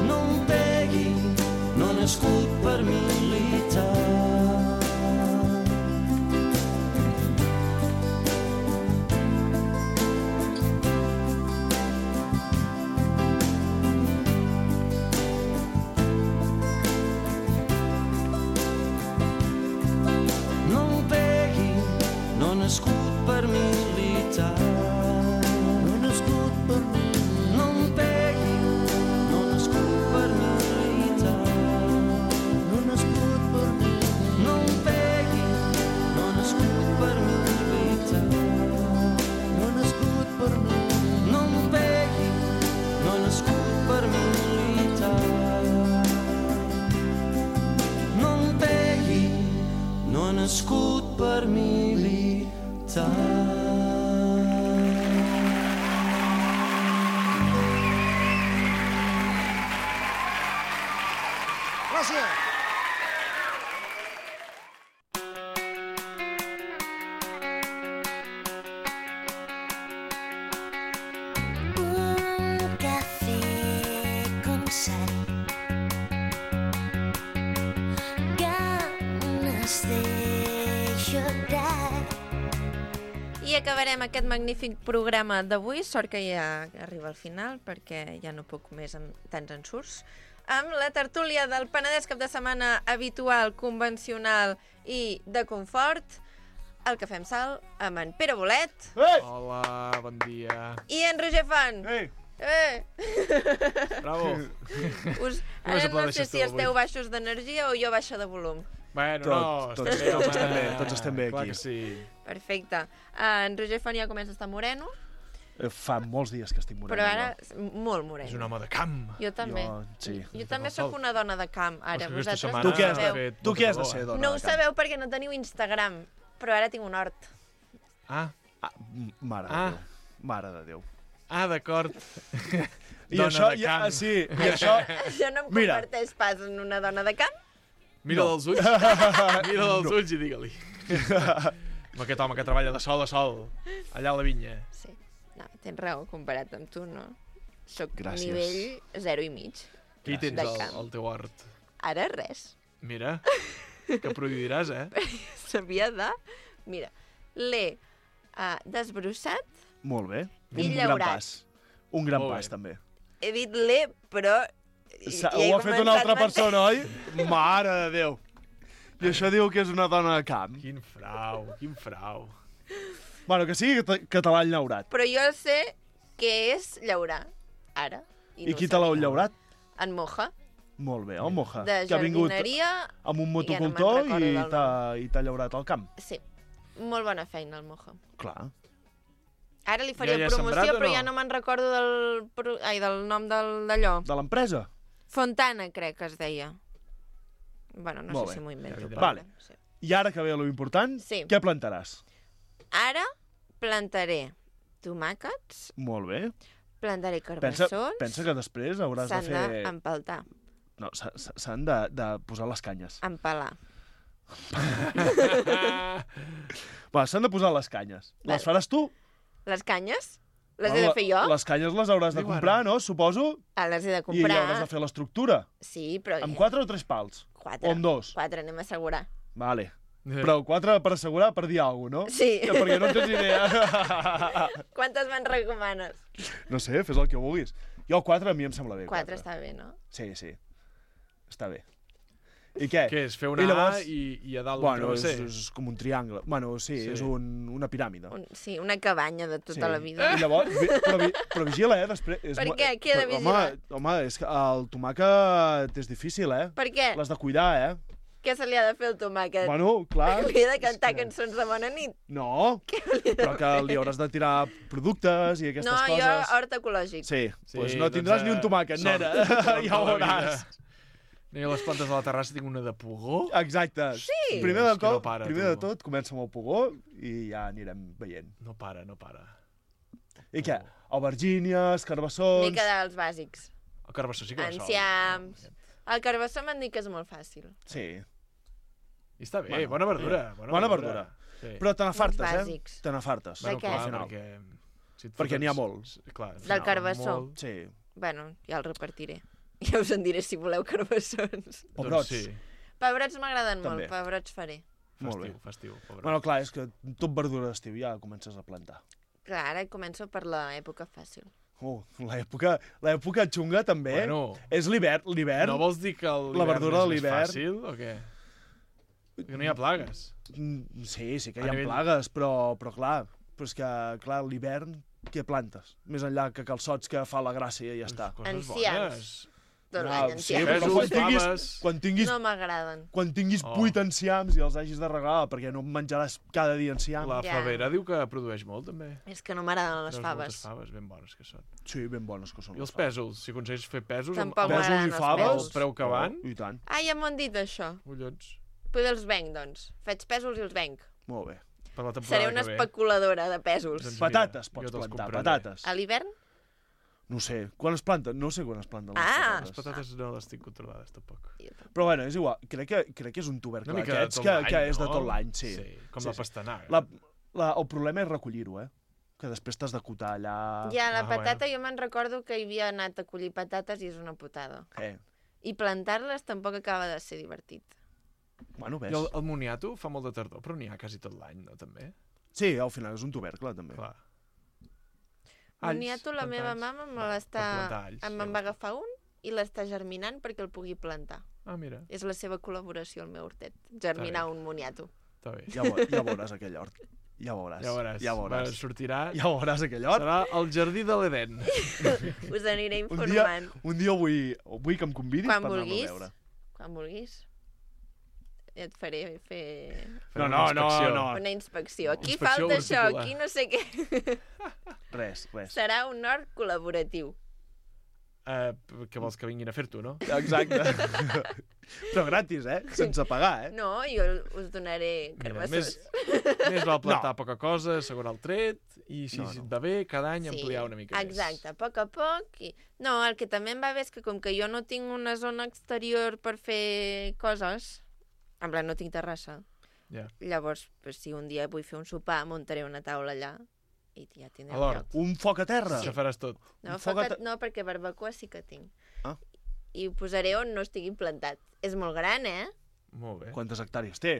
No em pegui, no he nascut per militar. Nascut per militar. No nascut per militar. No em pegui, no nascut per militar. No nascut per militar. No em pegui, no nascut per militar. No nascut per militar. No em pegui, no nascut per militar. No em pegui, no nascut per militar. Gràcies. Un café con sal, ganes de llorar. I acabarem aquest magnífic programa d'avui, sort que ja arriba al final, perquè ja no puc més amb tants ensurts, amb la tertúlia del Penedès cap de setmana habitual, convencional i de confort, el Cafè amb Sal, amb en Pere Bolet. Ei! Hola, bon dia. I en Roger Font. Ei! Bravo. Ara no sé si esteu baixos d'energia o jo baixa de volum. Bueno, tots estem bé clar aquí. Que sí. Perfecte. En Roger Font ja comença a estar moreno, Fa molts dies que estic moreno. però ara molt moreno. És un home de camp. Jo també. Jo també sóc una dona de camp, ara. Vosaltres no ho sabeu. Tu què has de ser, dona No ho de camp? sabeu perquè no teniu Instagram, però ara tinc un hort. Mare de Déu. Mare de Déu. D'acord. I això, sí, i això... Això no em converteix pas en una dona de camp. Mira dels ulls. Mira dels ulls i digue-li. Amb aquest home que treballa de sol a sol, allà a la vinya. Sí. No, tens raó, comparat amb tu, no? Soc Gràcies. nivell 0,5. Què hi tens al teu hort? Ara res. Mira, que prohibiràs, S'havia de... Mira, l'he desbrossat. Molt bé. I Un gran llaurat. pas. Un gran pas, també. He dit l'he, però... Ho ha fet una altra persona, oi? Mare de Déu. I això diu que és una dona de camp. Quin frau, quin frau. Bueno, que sigui català llaurat. Però jo sé què és llaurar, ara. I qui te l'ha llaurat? En Moja. Molt bé, el Moja. De que ha vingut jardineria... amb un ja no motocultor me'n recordo del nom. i t'ha llaurat al camp. Sí, molt bona feina, el Moja. Clar. Ara li faria Ja hi ha promoció, sembrat o però no? ja no me'n recordo del nom d'allò. De l'empresa? Fontana, crec que es deia. Bueno, no Molt sé bé. si m'ho invento. però Vale. sí. I ara que ve lo important, què plantaràs? Ara plantaré tomàquets, Molt bé. plantaré carbassons, Pensa que després hauràs de s'han fer... d'empaltar, No, s'han de posar les canyes. empalar. Va, s'han de posar les canyes. Vale. Les faràs tu? Les canyes? Les he de fer jo? Les canyes les hauràs de comprar, no? Suposo. Les he de I comprar. hauràs de fer l'estructura. Sí, però... Amb 4 o 3 pals? 4. O amb 2? 4, anem a assegurar. Vale. Però 4 per assegurar, per dir alguna cosa, no? Sí. Perquè no en tens idea. Quantes me'n recomanes? No sé, fes el que vulguis. Jo 4 a mi em sembla bé. 4 està bé, no? Sí, sí. Està bé. I què? Què és? Fer una A i a dalt un travesser? És com un triangle. Bueno, sí. És una piràmide. Sí, una cabanya de tota la vida. I llavors, però vigila, després. Per què? Què he de vigilar? Home, és que el tomàquet és difícil, Per què? L'has de cuidar, Què se li ha de fer al tomàquet? Bueno, clar. Li he de cantar cançons de bona nit? No, però que li hauràs de tirar productes i aquestes coses. No, jo hort ecològic. Sí, doncs no tindràs ni un tomàquet, nena. Ja ho veuràs. Jo a les plantes de la terrassa tinc una de pugó. Exacte. Sí. Primer de tot, comença amb el pugó i ja anirem veient. No para. I què? Aubergínies, carbassons... Mica dels bàsics. El carbassó sí que va sol. Enciams... El carbassó m'han dit que és molt fàcil. Sí. I està bé, bona verdura. Bona verdura. Sí. Però te n'afartes, bàsics. Te n'afartes. De què? Perquè n'hi ha molts. Clar, del carbassó? Sí. Bueno, ja el repartiré. Ja us en diré si voleu carbassons. Pebrots. Doncs sí. Pebrots m'agraden També. molt, pebrots faré. Molt bé. Festiu. Bueno, clar, és que tot verdura d'estiu ja comences a plantar. Clar, ara començo per l'època fàcil. L'època xunga també. Bueno, és l'hivern. No vols dir que la verdura de és més l'hivern fàcil o què? Que no hi ha plagues. Sí que hi ha plagues, però clar, és que clar, l'hivern què plantes? Més enllà que calçots que fa la gràcia i ja està. Enciams. Tot Ah, l'any sí, enciams. però quan tinguis No m'agraden. quan tinguis 8 enciams i els hagis de regalar perquè no menjaràs cada dia enciam. La favera diu que produeix molt, també. És que no m'agraden les Treus faves. moltes faves, ben bones que són. Sí, ben bones que són. I els pèsols? Si aconsegueix fer pèsols... Tampoc amb m'agraden pèsols i els faves, pèsols. el preu que van... I tant. Ah, ja m'ho han dit, això. Collons. Poder els venc, doncs. Faig pèsols i els venc. Molt bé. Per la temporada Seré una que ve. especuladora de pèsols. Doncs Patates mira, pots jo te'ls plantar, compraré. patates. A l'hivern? No sé, quan es planten? No sé quan es planten Ah! les Les patates no les tinc controlades, tampoc. Però bueno, és igual. Crec que és un tubercle Una mica de d'aquests tot que l'any, és de no? tot l'any, sí. Sí, com la pastanaga. El problema és recollir-ho, que després t'has de cotar allà... Ja, la patata jo me'n recordo que hi havia anat a collir patates i és una putada. I plantar-les tampoc acaba de ser divertit. Bueno, ves. I el moniato fa molt de tardor, però n'hi ha quasi tot l'any, no, també? Sí, al final és un tubercle, també. Clar. Moniato, la meva mama me l'està... plantar alls, Me'n va agafar un i l'està germinant perquè el pugui plantar. Ah, mira. És la seva col·laboració al meu hortet, germinar un moniato. Està bé. Ja veuràs aquell hort. Ja veuràs. Ja veuràs. Sortirà... Ja veuràs aquell hort. Serà el jardí de l'Eden. Us aniré informant. Un dia vull que em convidis per anar-lo a veure. Quan vulguis. Et faré fer... No. Una inspecció. Aquí falta això, aquí no sé què. Res. Serà un hort col·laboratiu. Que vols que vinguin a fer-t'ho, no? Exacte. Però gratis, sense pagar, No, jo us donaré carbassos. Més val plantar poca cosa, assegurar el tret, i si et va bé, cada any ampliar una mica més. Exacte, a poc a poc. No, el que també em va bé és que com que jo no tinc una zona exterior per fer coses, en plan no tinc terrassa, llavors si un dia vull fer un sopar, muntaré una taula allà i ja tindrem lloc. Un foc a terra? Això faràs tot. No, perquè barbacoa sí que tinc. I ho posaré on no estigui plantat. És molt gran, Molt bé. Quantes hectàrees té?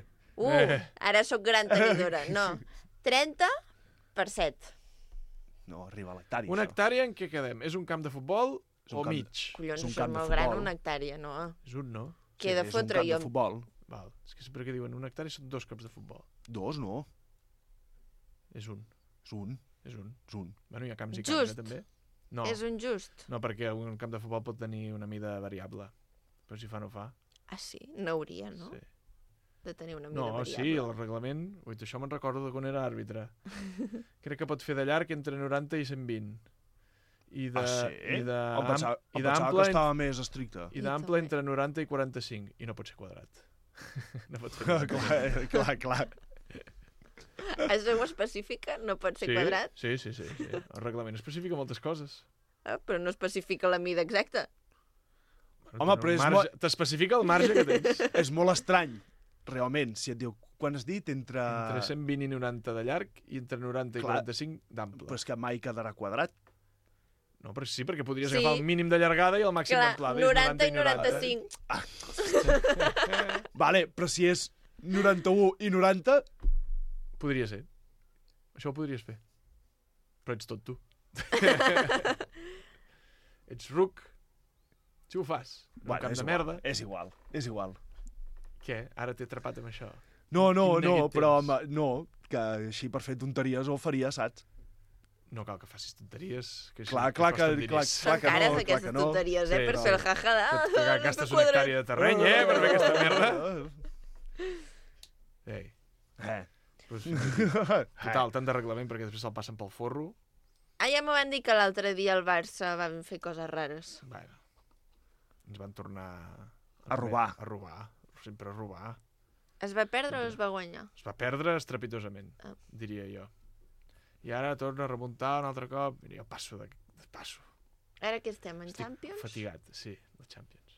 Ara sóc gran tenidora. No, 30 per 7. No, arriba a l'hectària. Una hectàrea en què quedem? És un camp de futbol o mig? Collons, això és molt gran, una hectàrea, no? És un, no? Què he de fotre jo? És un camp de futbol. Val. És que sempre que diuen una hectàrea són 2 camps de futbol. 2, no. És un. És un. Bueno, hi ha camps i camps, també. No. És un just. No, perquè un camp de futbol pot tenir una mida variable. Però si fa, no fa. Ah, sí? No hauria, no? Sí. De tenir una mida variable. Sí, el reglament... Ui, això me'n recordo de quan era àrbitre. Crec que pot fer de llarg entre 90 i 120. I de... sí? Em pensava que estava més estricte. I d'ample entre 90 i 45. I no pot ser quadrat. No pot ser clar. Això ho especifica? No pot ser quadrat? Sí. El reglament especifica moltes coses. Però no especifica la mida exacta. Home, però t'especifica el marge que tens. És molt estrany, realment, si et diu... Quan has dit? Entre 120 i 90 de llarg i entre 90 i 45 d'ample. Però és que mai quedarà quadrat. No, però sí, perquè podries agafar el mínim de llargada i el màxim d'amplada. 90 i 95. Vale, però si és 91 i 90... Podria ser. Això ho podries fer. Però ets tot tu. Ets ruc. Si ho fas. Un camp de merda. És igual. Què? Ara t'he atrapat amb això. No, però no, que així per fer tonteries ho faria, saps? No cal que facis tonteries. Que clar que són cares aquestes tonteries, per fer el jajada. Que gastes una hectàrea de terreny, per fer aquesta merda. Ei. Total, tant de reglament perquè després se'l passen pel forro. Ja m'ho van dir que l'altre dia al Barça van fer coses rares. Bueno, ens van tornar... A robar. Sempre a robar. Es va perdre o es va guanyar? Es va perdre estrepitosament, diria jo. I ara torna a remuntar un altre cop. Mira, jo passo. Ara que estem en Estic Champions? fatigat, sí, de Champions.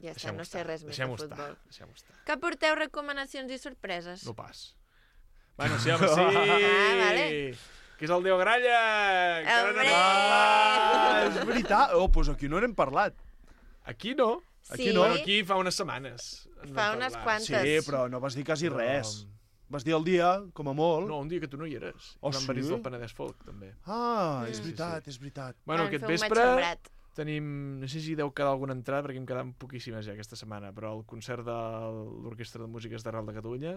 Ja està, no sé res més de futbol. Deixem-ho estar. Que porteu recomanacions i sorpreses? No pas. Bueno, sí, home, sí! Vale. Que és el Déu Gralla! Encara no n'hem parlat! És veritat! Doncs aquí no n'hem parlat. Aquí no. Sí. Aquí fa unes setmanes. Fa unes quantes. Sí, però no vas dir quasi res. Vas dir el dia, com a molt. No, un dia que tu no hi eres. Oh, Vam venir del Penedès Folk, també. Ah, és veritat, és veritat. Bueno, aquest vespre tenim... No sé si deu quedar alguna entrada, perquè em queden poquíssimes ja aquesta setmana, però el concert de l'Orquestra de Músiques d'Arrel de Catalunya,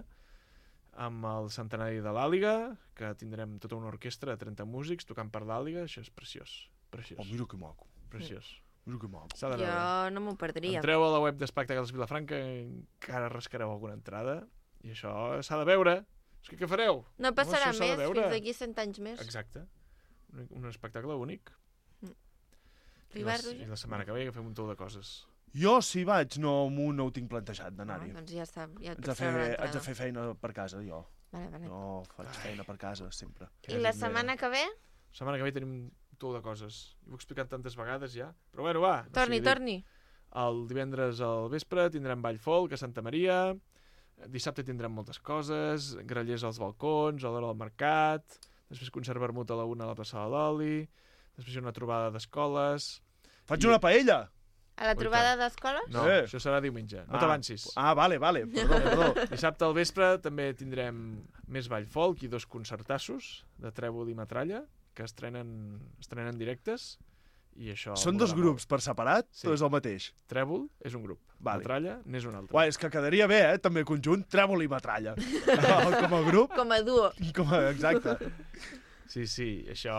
amb el centenari de l'Àliga, que tindrem tota una orquestra de 30 músics tocant per l'Àliga, això és preciós. Preciós. Oh, mira que maco. Preciós. Mira que maco. Jo no m'ho perdria. Entreu a la web d'Espectacles Vilafranca, encara rascareu alguna entrada, i això s'ha de veure. És que què fareu? No passarà més, fins d'aquí 100 anys més. Exacte. Un espectacle únic. I la setmana que ve que fem un tou de coses. Jo, si vaig, no ho tinc plantejat d'anar-hi. Doncs ja està, ja et pots treure l'entrada. Haig de fer feina per casa, jo. Vale. No faig feina per casa, sempre. I la setmana que ve? La setmana que ve tenim un tou de coses. Ho he explicat tantes vegades ja. Però bueno, va. Torni. El divendres al vespre tindrem ball folk a Santa Maria. Dissabte tindrem moltes coses, grallers als balcons, a l'hora del mercat, després concert vermut a la 1 a la plaça de l'Oli, després una trobada d'escoles... Faig una paella! A la trobada d'escoles? No, això serà diumenge, no t'avancis. Ah, vale, perdó. Dissabte al vespre també tindrem més ball folk i 2 concertassos de trèvol i metralla, que estrenen directes. I això són 2 grups per separat o és el mateix? Trèvol és un grup, metralla n'és un altre. Uai, és que quedaria bé, també conjunt, trèvol i metralla. Com a grup. Com a duo. Exacte. Sí, això,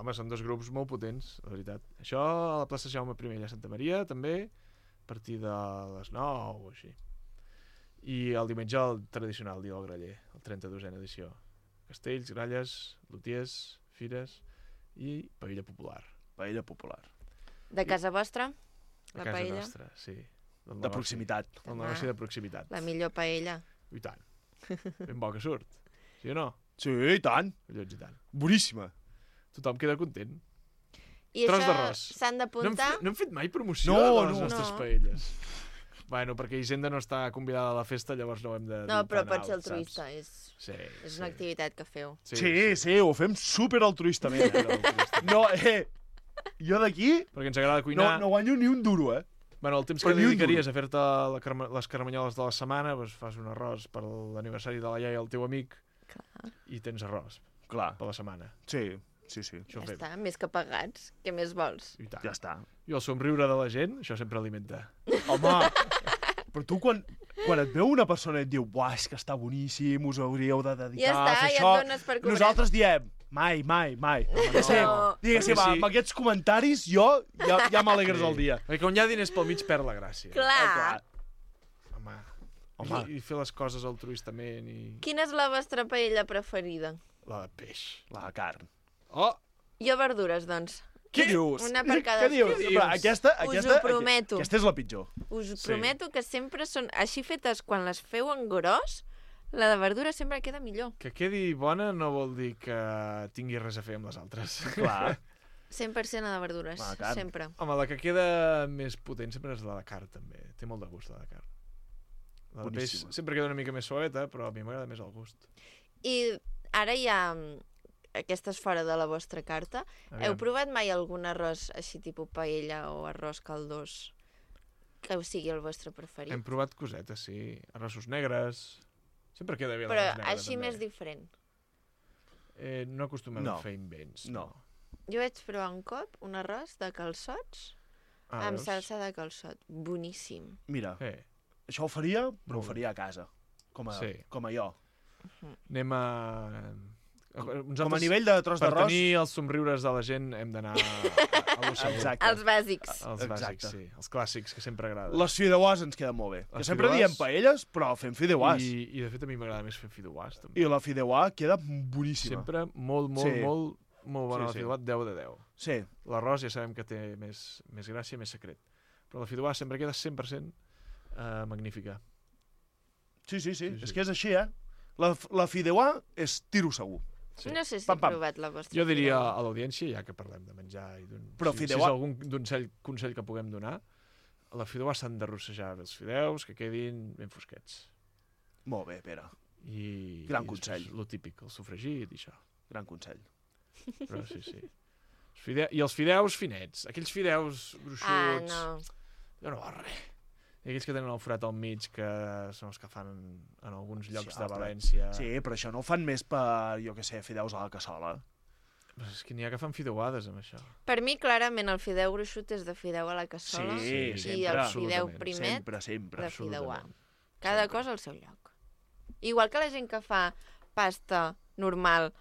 home, són 2 grups molt potents, la veritat. Això a la plaça Jaume I a Santa Maria, també, a partir de les 9 o així. I el diumenge el tradicional dia del graller, el 32è edició. Castells, gralles, lotiers, fires i paella popular. Paella popular. De casa vostra? La paella? De casa nostra, sí. De proximitat. El negoci de proximitat. La millor paella. I tant. Ben bo que surt. Sí o no? Sí, i tant. Collons, i tant. Boníssima. Tothom queda content. I tros d'arròs. S'han d'apuntar? No hem fet mai promoció de les nostres paelles. Bueno, perquè Hisenda no està convidada a la festa, llavors no ho hem de... No, però pot ser altruista, és una activitat que feu. Sí, ho fem super altruistament. No, jo d'aquí perquè ens agrada cuinar. No guanyo ni un duro, Bueno, el temps que dedicaries a fer-te les caramanyoles de la setmana, doncs fas un arròs per l'aniversari de la iaia del teu amic. Clar. I tens arròs. Clar. Per la setmana. Sí. Ja està, més que pagats. Què més vols? I tant. Ja està. I el somriure de la gent, això sempre alimenta. Home, però tu quan et veu una persona i et diu "Buah, és que està boníssim, us hauríeu de dedicar a fer això", ja et dones per cobrat. Nosaltres diem mai. Diguéssim, amb aquests comentaris jo ja m'alegres el dia. Perquè quan hi ha diners pel mig perd la gràcia. Clar. Home. I fer les coses altruistament i... Quina és la vostra paella preferida? La de peix. La de carn. Oh! Jo verdures, doncs. Què dius? Una per cada... Què dius? Aquesta, us ho prometo. Aquesta és la pitjor. Us prometo que sempre són així fetes quan les feu en gros, la de verdura sempre queda millor. Que quedi bona no vol dir que tingui res a fer amb les altres. Clar. 100% la de verdures, sempre. Home, la que queda més potent sempre és la de carn, també. Té molt de gust, la de carn. La de peix sempre queda una mica més suaveta, però a mi m'agrada més el gust. I ara hi ha... Aquesta és fora de la vostra carta. Heu provat mai algun arròs així tipus paella o arròs caldós que sigui el vostre preferit? Hem provat cosetes, sí. Arrossos negres... Sempre queda bé l'arròs negre, però així també. Més diferent. No acostumem a fer invents. No. Jo vaig provar un cop un arròs de calçots amb salsa de calçot. Boníssim. Mira, això ho faria, però ho faria a casa, com a jo. Anem a... Com a nivell de tros d'arròs... Per tenir els somriures de la gent hem d'anar a l'ocell. Els bàsics. Els bàsics, sí. Els clàssics, que sempre agraden. Les fideuàs ens queden molt bé. Que sempre diem paelles, però fem fideuàs. I de fet a mi m'agrada més fer fideuàs, també. I la fideuà queda boníssima. Sempre molt bona la fideuà, 10 de 10. Sí. L'arròs ja sabem que té més gràcia, més secret. Però la fideuà sempre queda 100% magnífica. Sí. És que és així, La fideuà és tiro segur. Sí. No sé si Pam, he pam. provat la vostra Jo diria fideuà. a l'audiència, ja que parlem de menjar i d'un... Però si és fideuà- algun consell que puguem donar, a la fideuà s'han de rossejar bé els fideus, que quedin ben fosquets. Molt bé, Pere. I Gran i consell. Lo típic, el sofregit i això. Gran consell. Però sí. I els fideus finets, aquells fideus gruixuts... no. Jo no val res. I aquells que tenen el forat al mig, que són els que fan en alguns llocs de València. Sí, però això no ho fan més per, jo què sé, fideus a la cassola. Però és que n'hi ha que fan fideuades amb això. Per mi, clarament, el fideu gruixut és de fideu a la cassola Sí, i sempre. el fideu Absolutament. primet Sempre. de fideuà. Cada cosa al seu lloc. Igual que la gent que fa pasta normal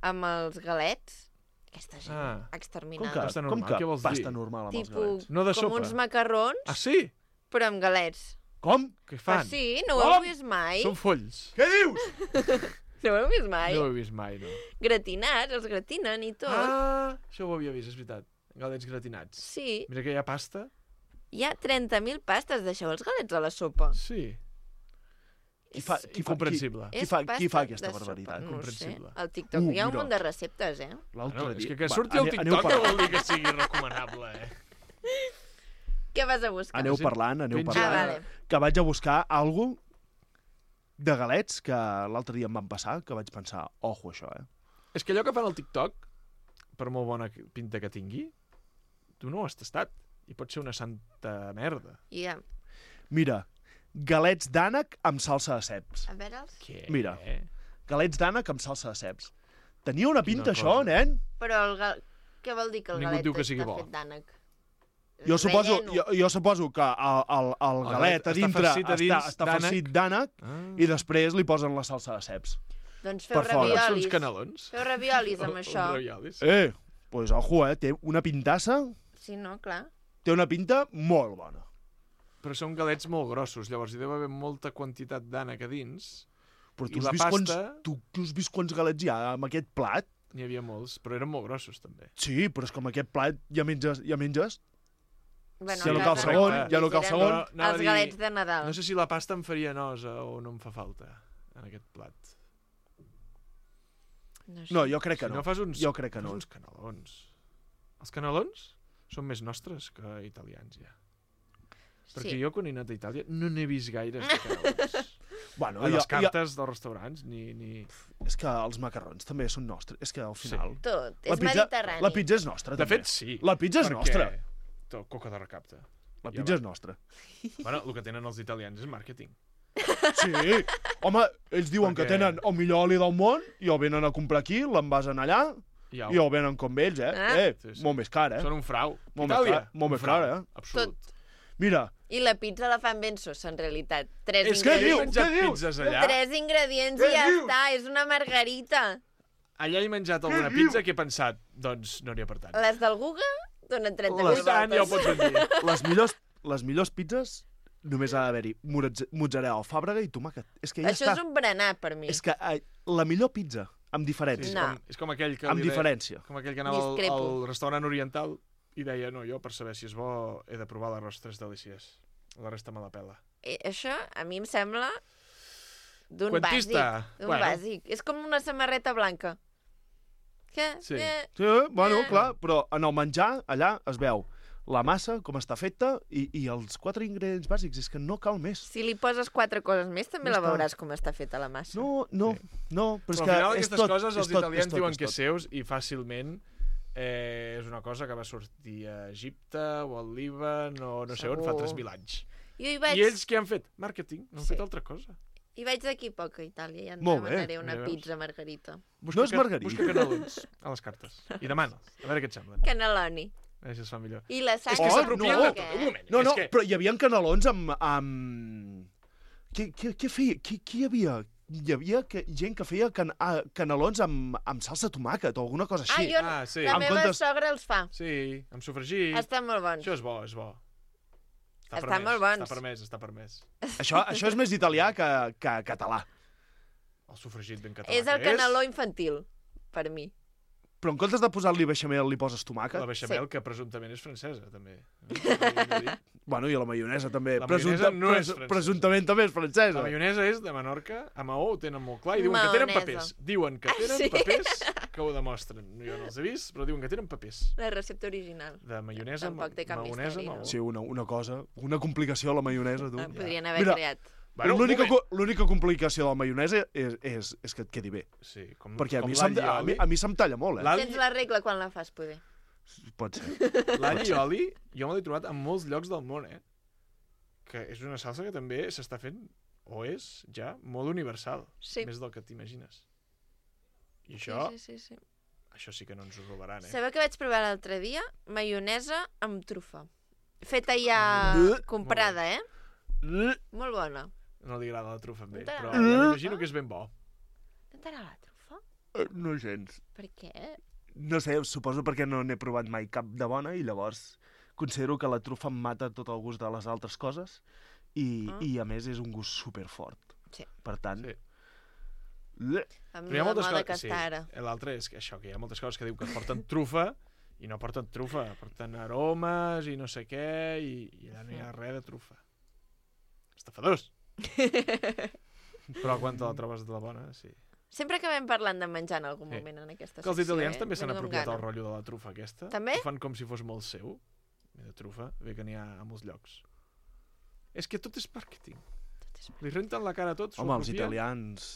amb els galets, aquesta gent exterminada. Pasta normal, què vols dir? Pasta normal amb els Tipus galets? No de com sopa. uns macarrons, Ah, sí? però amb galets. Com? Què fan? Ah, sí? No ho heu vist mai? Són folls. Què dius? No ho heu vist mai? No ho he vist mai, no. Gratinats, els gratinen i tot. Ah, això ho havia vist, és veritat. Galets gratinats. Sí. Mira que hi ha pasta. Hi ha 30.000 pastes, deixeu els galets a la sopa. Sí. Comprensible. És Qui fa pasta aquesta de sopa, barbaritat? No ho sé. Comprensible. Al TikTok hi ha un mira. munt de receptes, eh? L'altre És dia... que Va, surti al aneu TikTok no parlant. vol dir que sigui recomanable, eh? Què vas a buscar? Aneu parlant. vale. Que vaig a buscar alguna de galets que l'altre dia em van passar, que vaig pensar, ojo, això, eh? És que allò que fan al TikTok, per molt bona pinta que tingui, tu no ho has tastat. I pot ser una santa merda. Ja. Mira, galets d'ànec amb salsa de ceps. A veure'ls. Què? Mira, galets d'ànec amb salsa de ceps. Tenia una pinta, Quina això, cosa. nen? Però què vol dir que el Ningú galet diu que sigui està bo. fet d'ànec? Jo suposo, Relleno. jo suposo que el galet a està dintre farcit a dins està d'ànec. farcit d'ànec i després li posen la salsa de ceps. Doncs feu Per fora. Són uns raviolis. canelons. Feu raviolis amb això. Raviolis. Pues ojo, té una pintassa, Sí, no, clar. té una pinta molt bona. Però són galets molt grossos, llavors hi deu haver molta quantitat d'ànec a dins. Però I la pasta... tu has vist quants galets hi ha amb aquest plat? N'hi havia molts, però eren molt grossos, també. Sí, però és que amb aquest plat ja menges. Bueno, Ja no cal casa segon, no. ja no cal Eren segon. Anava a Els dir- galets de Nadal. No sé si la pasta em faria nosa o no em fa falta en aquest plat. No, jo crec que Si no. no fas uns, Jo crec que no. fas uns canelons. Els canelons són més nostres que italians, ja. Perquè Sí. jo, quan he anat a Itàlia, no n'he vist gaires de canelons. Bueno, A les cartes dels restaurants, ni... És que els macarrons també són nostres. És que al final... Tot. La És pizza- mediterrani. La pizza és nostra, De també. fet, sí. La pizza és perquè nostra. Coca de recapte. La Ja pizza va. és nostra. Bueno, el que tenen els italians és màrqueting. Sí. Home, ells diuen que Perquè- tenen el millor oli del món i el venen a comprar aquí, l'envasen allà i el venen com ells, eh? Ah. Molt més car, eh? Són un frau. Molt Itàlia, més car, molt un més car, frau. eh? Absolut. Mira, I la pizza la fan ben sosa, en realitat. Tres És que he ingredients. menjat pizzas allà. 3 ingredients i ja està. És una margarita. Allà he menjat alguna pizza que he pensat, doncs no n'hi ha per tant. Les del Guga donen 38 Les- voltes. ja ho pots ben dir. les millors pizzas només ha d'haver-hi mozzarella, alfàbrega i tomàquet. És que ja Això està. és un berenar, per mi. És que la millor pizza, amb diferència. No. És com aquell que Amb li deia- diferència. Com aquell que anava al Discrepo. restaurant oriental i deia, no, jo per saber si és bo he de provar l'arròs tres delícies. La resta me la pela. Això a mi em sembla d'un Quantista. bàsic. D'un Bueno. bàsic. És com una samarreta blanca. Què? Sí. Sí, bueno, clar, però en el menjar, allà es veu la massa, com està feta, i els 4 ingredients bàsics. És que no cal més. Si li poses 4 coses més, també Ja la està. veuràs com està feta la massa. No, però és Però al que final és aquestes tot, coses els és tot, italians és tot, diuen és que tot. és seus i fàcilment és una cosa que va sortir a Egipte o al Líban o no sé on fa Segur. 3.000 anys. Jo hi vaig... I ells què han fet? Màrqueting, no han Sí. fet altra cosa. I vaig d'aquí poc a Itàlia i ja Molt bé, demanaré una ja veus. pizza margarita. No és margarita. Busca canelons a les cartes. I demana'ls, a veure què et semblen. Caneloni. A veure si es fa millor. I la sang... És que s'apropien de tot. Un moment. No, és no, que... però hi havia canelons amb... Què feia? Qui hi havia? Hi havia gent que feia canelons amb salsa tomàquet o alguna cosa així. sí. La En meva comptes- sogra els fa. Sí, amb sofregit. Estan molt bons. Això és bo, és bo. Estan molt bons. Està permès, està permès. Això és més italià que català. El sofregit ben català És el que caneló infantil, per mi. Però en comptes de posar-li beixamel, li poses tomàquet? La beixamel, que presumptament és francesa, també. Bueno, i la maionesa també. La maionesa no és francesa. Presumptament també és francesa. La maionesa és de Menorca, a Maó ho tenen molt clar, i diuen que tenen papers. Diuen que tenen papers que ho demostren. Jo no els he vist, però diuen que tenen papers. La recepta original. De maionesa, maonesa, Maó. Sí, una cosa, una complicació a la maionesa, tu. Podrien haver creat. Bueno, l'única complicació de la maionesa és que et quedi bé. Sí, perquè a mi se'm talla molt, Tens la regla quan la fas, poder. Pot ser. L'all i oli, jo me l'he trobat en molts llocs del món, que és una salsa que també s'està fent, o és ja, molt universal. Sí. Més del que t'imagines. I això... Sí. Això sí que no ens ho robaran, Sabeu que vaig provar l'altre dia? Maionesa amb trufa. Feta ja comprada, Molt bona. No li agrada la trufa amb ell, No però t'agrada? m'imagino que és ben bo. No t'agrada la trufa? No gens. Per què? No sé, suposo perquè no n'he provat mai cap de bona i llavors considero que la trufa em mata tot el gust de les altres coses i a més és un gust superfort. Sí. Per tant... Sí. Amb la moda que està ara. L'altre és que això, que hi ha moltes coses que diu que porten trufa i no porten trufa, porten aromes i no sé què i allà no hi ha res de trufa. Estafadors! Però quan te la trobes de la bona, sí. Sempre acabem parlant de menjar en algun moment en aquesta secció. Que els italians també s'han apropiat el rotllo de la trufa aquesta. També? Ho fan com si fos molt seu, de trufa, bé que n'hi ha a molts llocs. És que tot és màrqueting. Li renten la cara a tots. Home, els italians...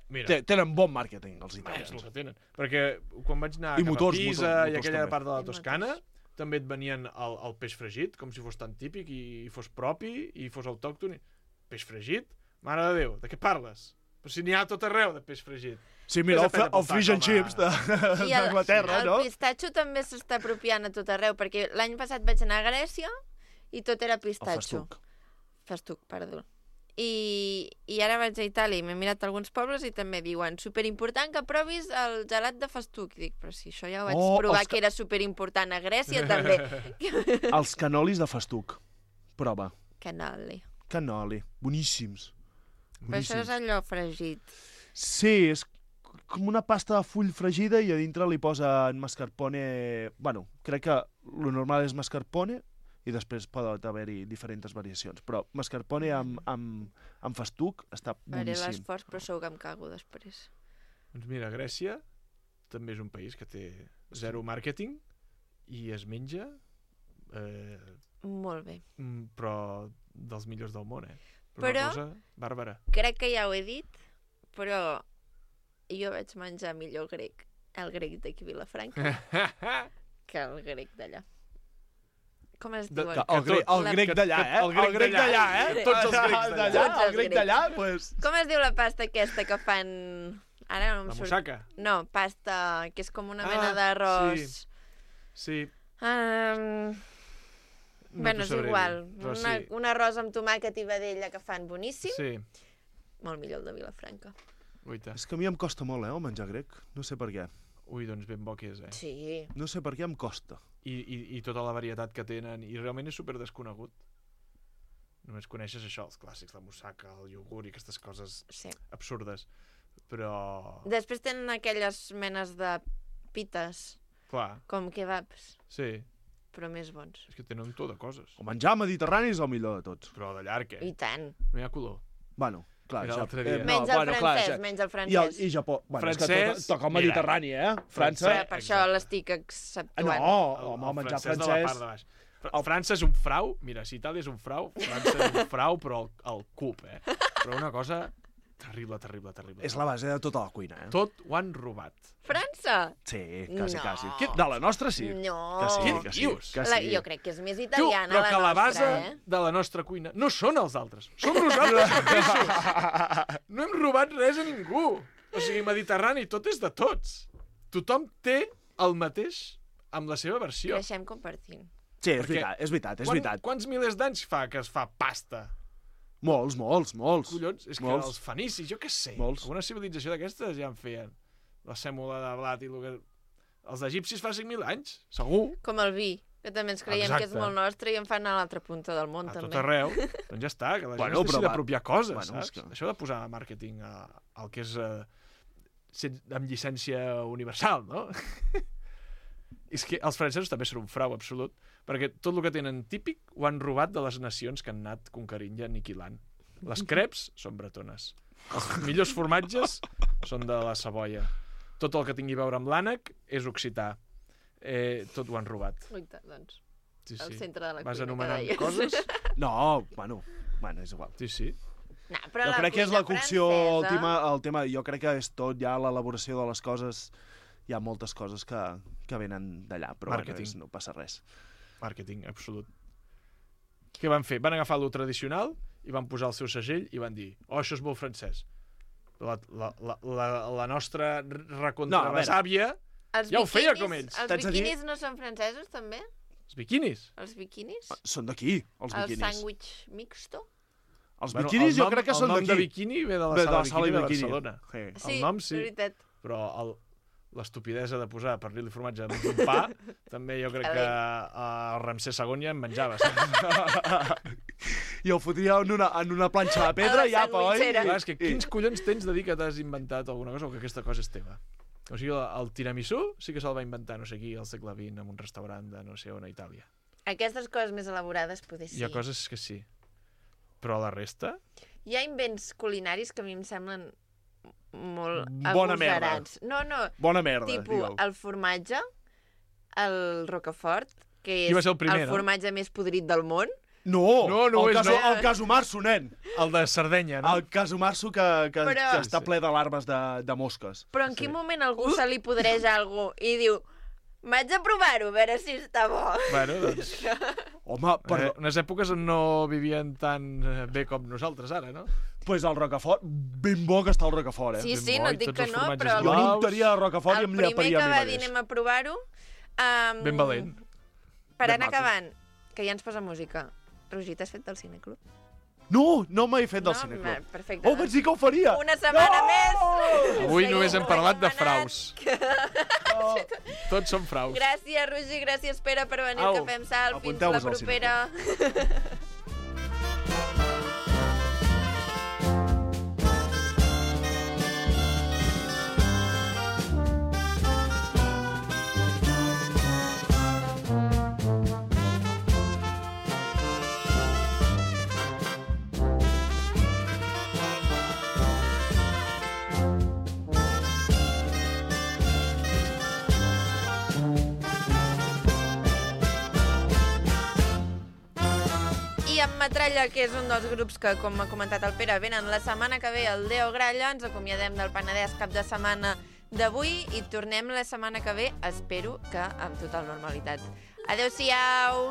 Mira. Tenen bon màrqueting, els italians. És el que tenen. Perquè quan vaig anar cap a Pisa i aquella part de la Toscana, també et venien el peix fregit, com si fos tan típic i fos propi i fos autòcton. Peix fregit? Mare de Déu, de què parles? Però si n'hi ha tot arreu de peix fregit. Sí, mira, el fish and chips d'Anglaterra, no? El pistatxo també s'està apropiant a tot arreu, perquè l'any passat vaig anar a Grècia i tot era pistatxo. Festuc, perdó. I ara vaig a Itàlia i m'he mirat alguns pobles i també diuen superimportant que provis el gelat de festuc. I dic, però si això ja ho vaig provar que era superimportant a Grècia també. Els canolis de festuc. Prova. Canoli. Boníssims. Però això és allò fregit. Sí, és com una pasta de full fregida i a dintre li posen mascarpone... Bueno, crec que lo normal és mascarpone i després pot haver-hi diferents variacions. Però mascarpone amb festuc està boníssim. Faré l'esforç, però segur que em cago després. Doncs mira, Grècia també és un país que té zero màrqueting i es menja... Molt bé. Però dels millors del món, Però una cosa bàrbara. Crec que ja ho he dit, però jo vaig menjar millor el grec d'aquí a Vilafranca, que el grec d'allà. Com es diu? El grec d'allà, El grec d'allà, Tots els grecs d'allà. El grec d'allà, doncs... Com es diu la pasta aquesta que fan... Ara no em surt. La moussaka? No, pasta, que és com una mena d'arròs. Sí. Bueno, és igual. Un arròs amb tomàquet i vedella que fan boníssim. Sí. Molt millor el de Vilafranca. És que a mi em costa molt, el menjar grec. No sé per què. Ui, doncs ben bo que és, Sí. No sé per què em costa. I tota la varietat que tenen. I realment és super desconegut. Només coneixes això, els clàssics, la moussaka, el iogurt i aquestes coses absurdes. Però... Després tenen aquelles menes de pites. Clar. Com kebabs. Sí. Però més bons. És que tenen tot de coses. El menjar mediterrani és el millor de tots. Però de llarg, I tant. No hi ha color. Bueno, clar. Menys el francès, menys el francès. I Japó. Bueno, francès... és que toca el mediterrani, França... Per això l'estic exceptuant. No, home, menjar francès... de la part de baix. França és un frau. Mira, si Itàlia és un frau, França és un frau, però el cub, Però una cosa... Terrible. És la base de tota la cuina, Tot ho han robat. França? Sí, quasi. De la nostra sí. No. Que sí. Jo crec que és més italiana però que la base de la nostra cuina no són els altres. Som nosaltres mateixos. No hem robat res a ningú. O sigui, Mediterrani, tot és de tots. Tothom té el mateix amb la seva versió. Creixem compartint. Sí, és veritat. Quants milers d'anys fa que es fa pasta? Molts. Collons, és que els fenicis, jo què sé, alguna civilització d'aquestes ja en feien. La sèmola de blat i el que... Els egipcis fa 5.000 anys, segur. Com el vi, que també ens creiem que és molt nostre i en fan a l'altra punta del món, també. A tot arreu. Doncs ja està, que la gent es deixi d'apropiar coses, saps? Això de posar màrqueting al que és amb llicència universal, no? És que els francesos també són un frau absolut, perquè tot el que tenen típic ho han robat de les nacions que han anat conquerint i aniquilant. Les creps són bretones. Els millors formatges són de la Savoia. Tot el que tingui a veure amb l'ànec és occità. Tot ho han robat. Oita, doncs. Sí, El sí. centre de la Vas cuina, anomenant que deies. coses? No, bueno, és igual. Sí, sí. No, però Jo la crec que és la cuina cocció francesa- el tema. Jo crec que és tot ja l'elaboració de les coses. Hi ha moltes coses que venen d'allà, però Màrqueting. no passa res. Màrqueting, absolut. Què van fer? Van agafar lo tradicional i van posar el seu segell i van dir això és molt francès. La nostra recontrabesàvia ja ho feia com ells. Els biquinis no són francesos, també? Els biquinis? Els biquinis? Són d'aquí, els El biquinis. sàndwich mixto? Els biquinis jo crec que són d'aquí. El nom de d'aquí. bikini ve de la sala de bikini de bikini. Barcelona. Sí, El nom sí, és veritat. però l'estupidesa de posar pernil i formatge en un pa, també jo crec que el Ramsès II ja en menjava. I ho fotria en una planxa de pedra i apa, oi? Clar, és que quins collons tens de dir que t'has inventat alguna cosa o que aquesta cosa és teva? O sigui, el tiramisú sí que se'l va inventar no sé qui al segle XX en un restaurant de no sé on a Itàlia. Aquestes coses més elaborades poder sí. Hi ha coses que sí. Però la resta... Hi ha invents culinaris que a mi em semblen molt Bona merda. agosarats. No. Bona merda, Tipus, digueu. el formatge, el Rocafort, que Qui va és ser el primer, no? formatge més podrit del món. No, no el és, no. El casumarso, nen. El de Sardenya, no? El casumarso que està ple de larves de mosques. Però en quin moment algú se li podreix alguna cosa i diu vaig a provar-ho, a veure si està bo. Bueno, doncs... Home, perdó. Unes èpoques on no vivien tan bé com nosaltres ara, no? Pues el Rocafort, ben bo que està el Rocafort, Sí, Ben bo, no i et dic tots que els no, formatges però... Jo n'untaria de Rocafort i em el primer llaparia que a mi va dir mateix. anem a provar-ho... Ben valent. Per Ben anar maco. acabant, que ja ens posa música. Roger, t'has fet del cineclub? No m'he fet del No? cineclub. Perfecte. Oh, vaig dir que ho faria! Una setmana més! Avui Seguim només hem parlat de recomanant. fraus. Tots són fraus. Gràcies, Roger, gràcies, Pere, per venir Au, al Cafè amb Sal. Fins la apunteu-vos al propera. I amb Metralla, que és un dels grups que, com ha comentat el Pere, venen la setmana que ve al Deo Gralla, ens acomiadem del Penedès cap de setmana d'avui i tornem la setmana que ve, espero que amb total normalitat. Adéu-siau!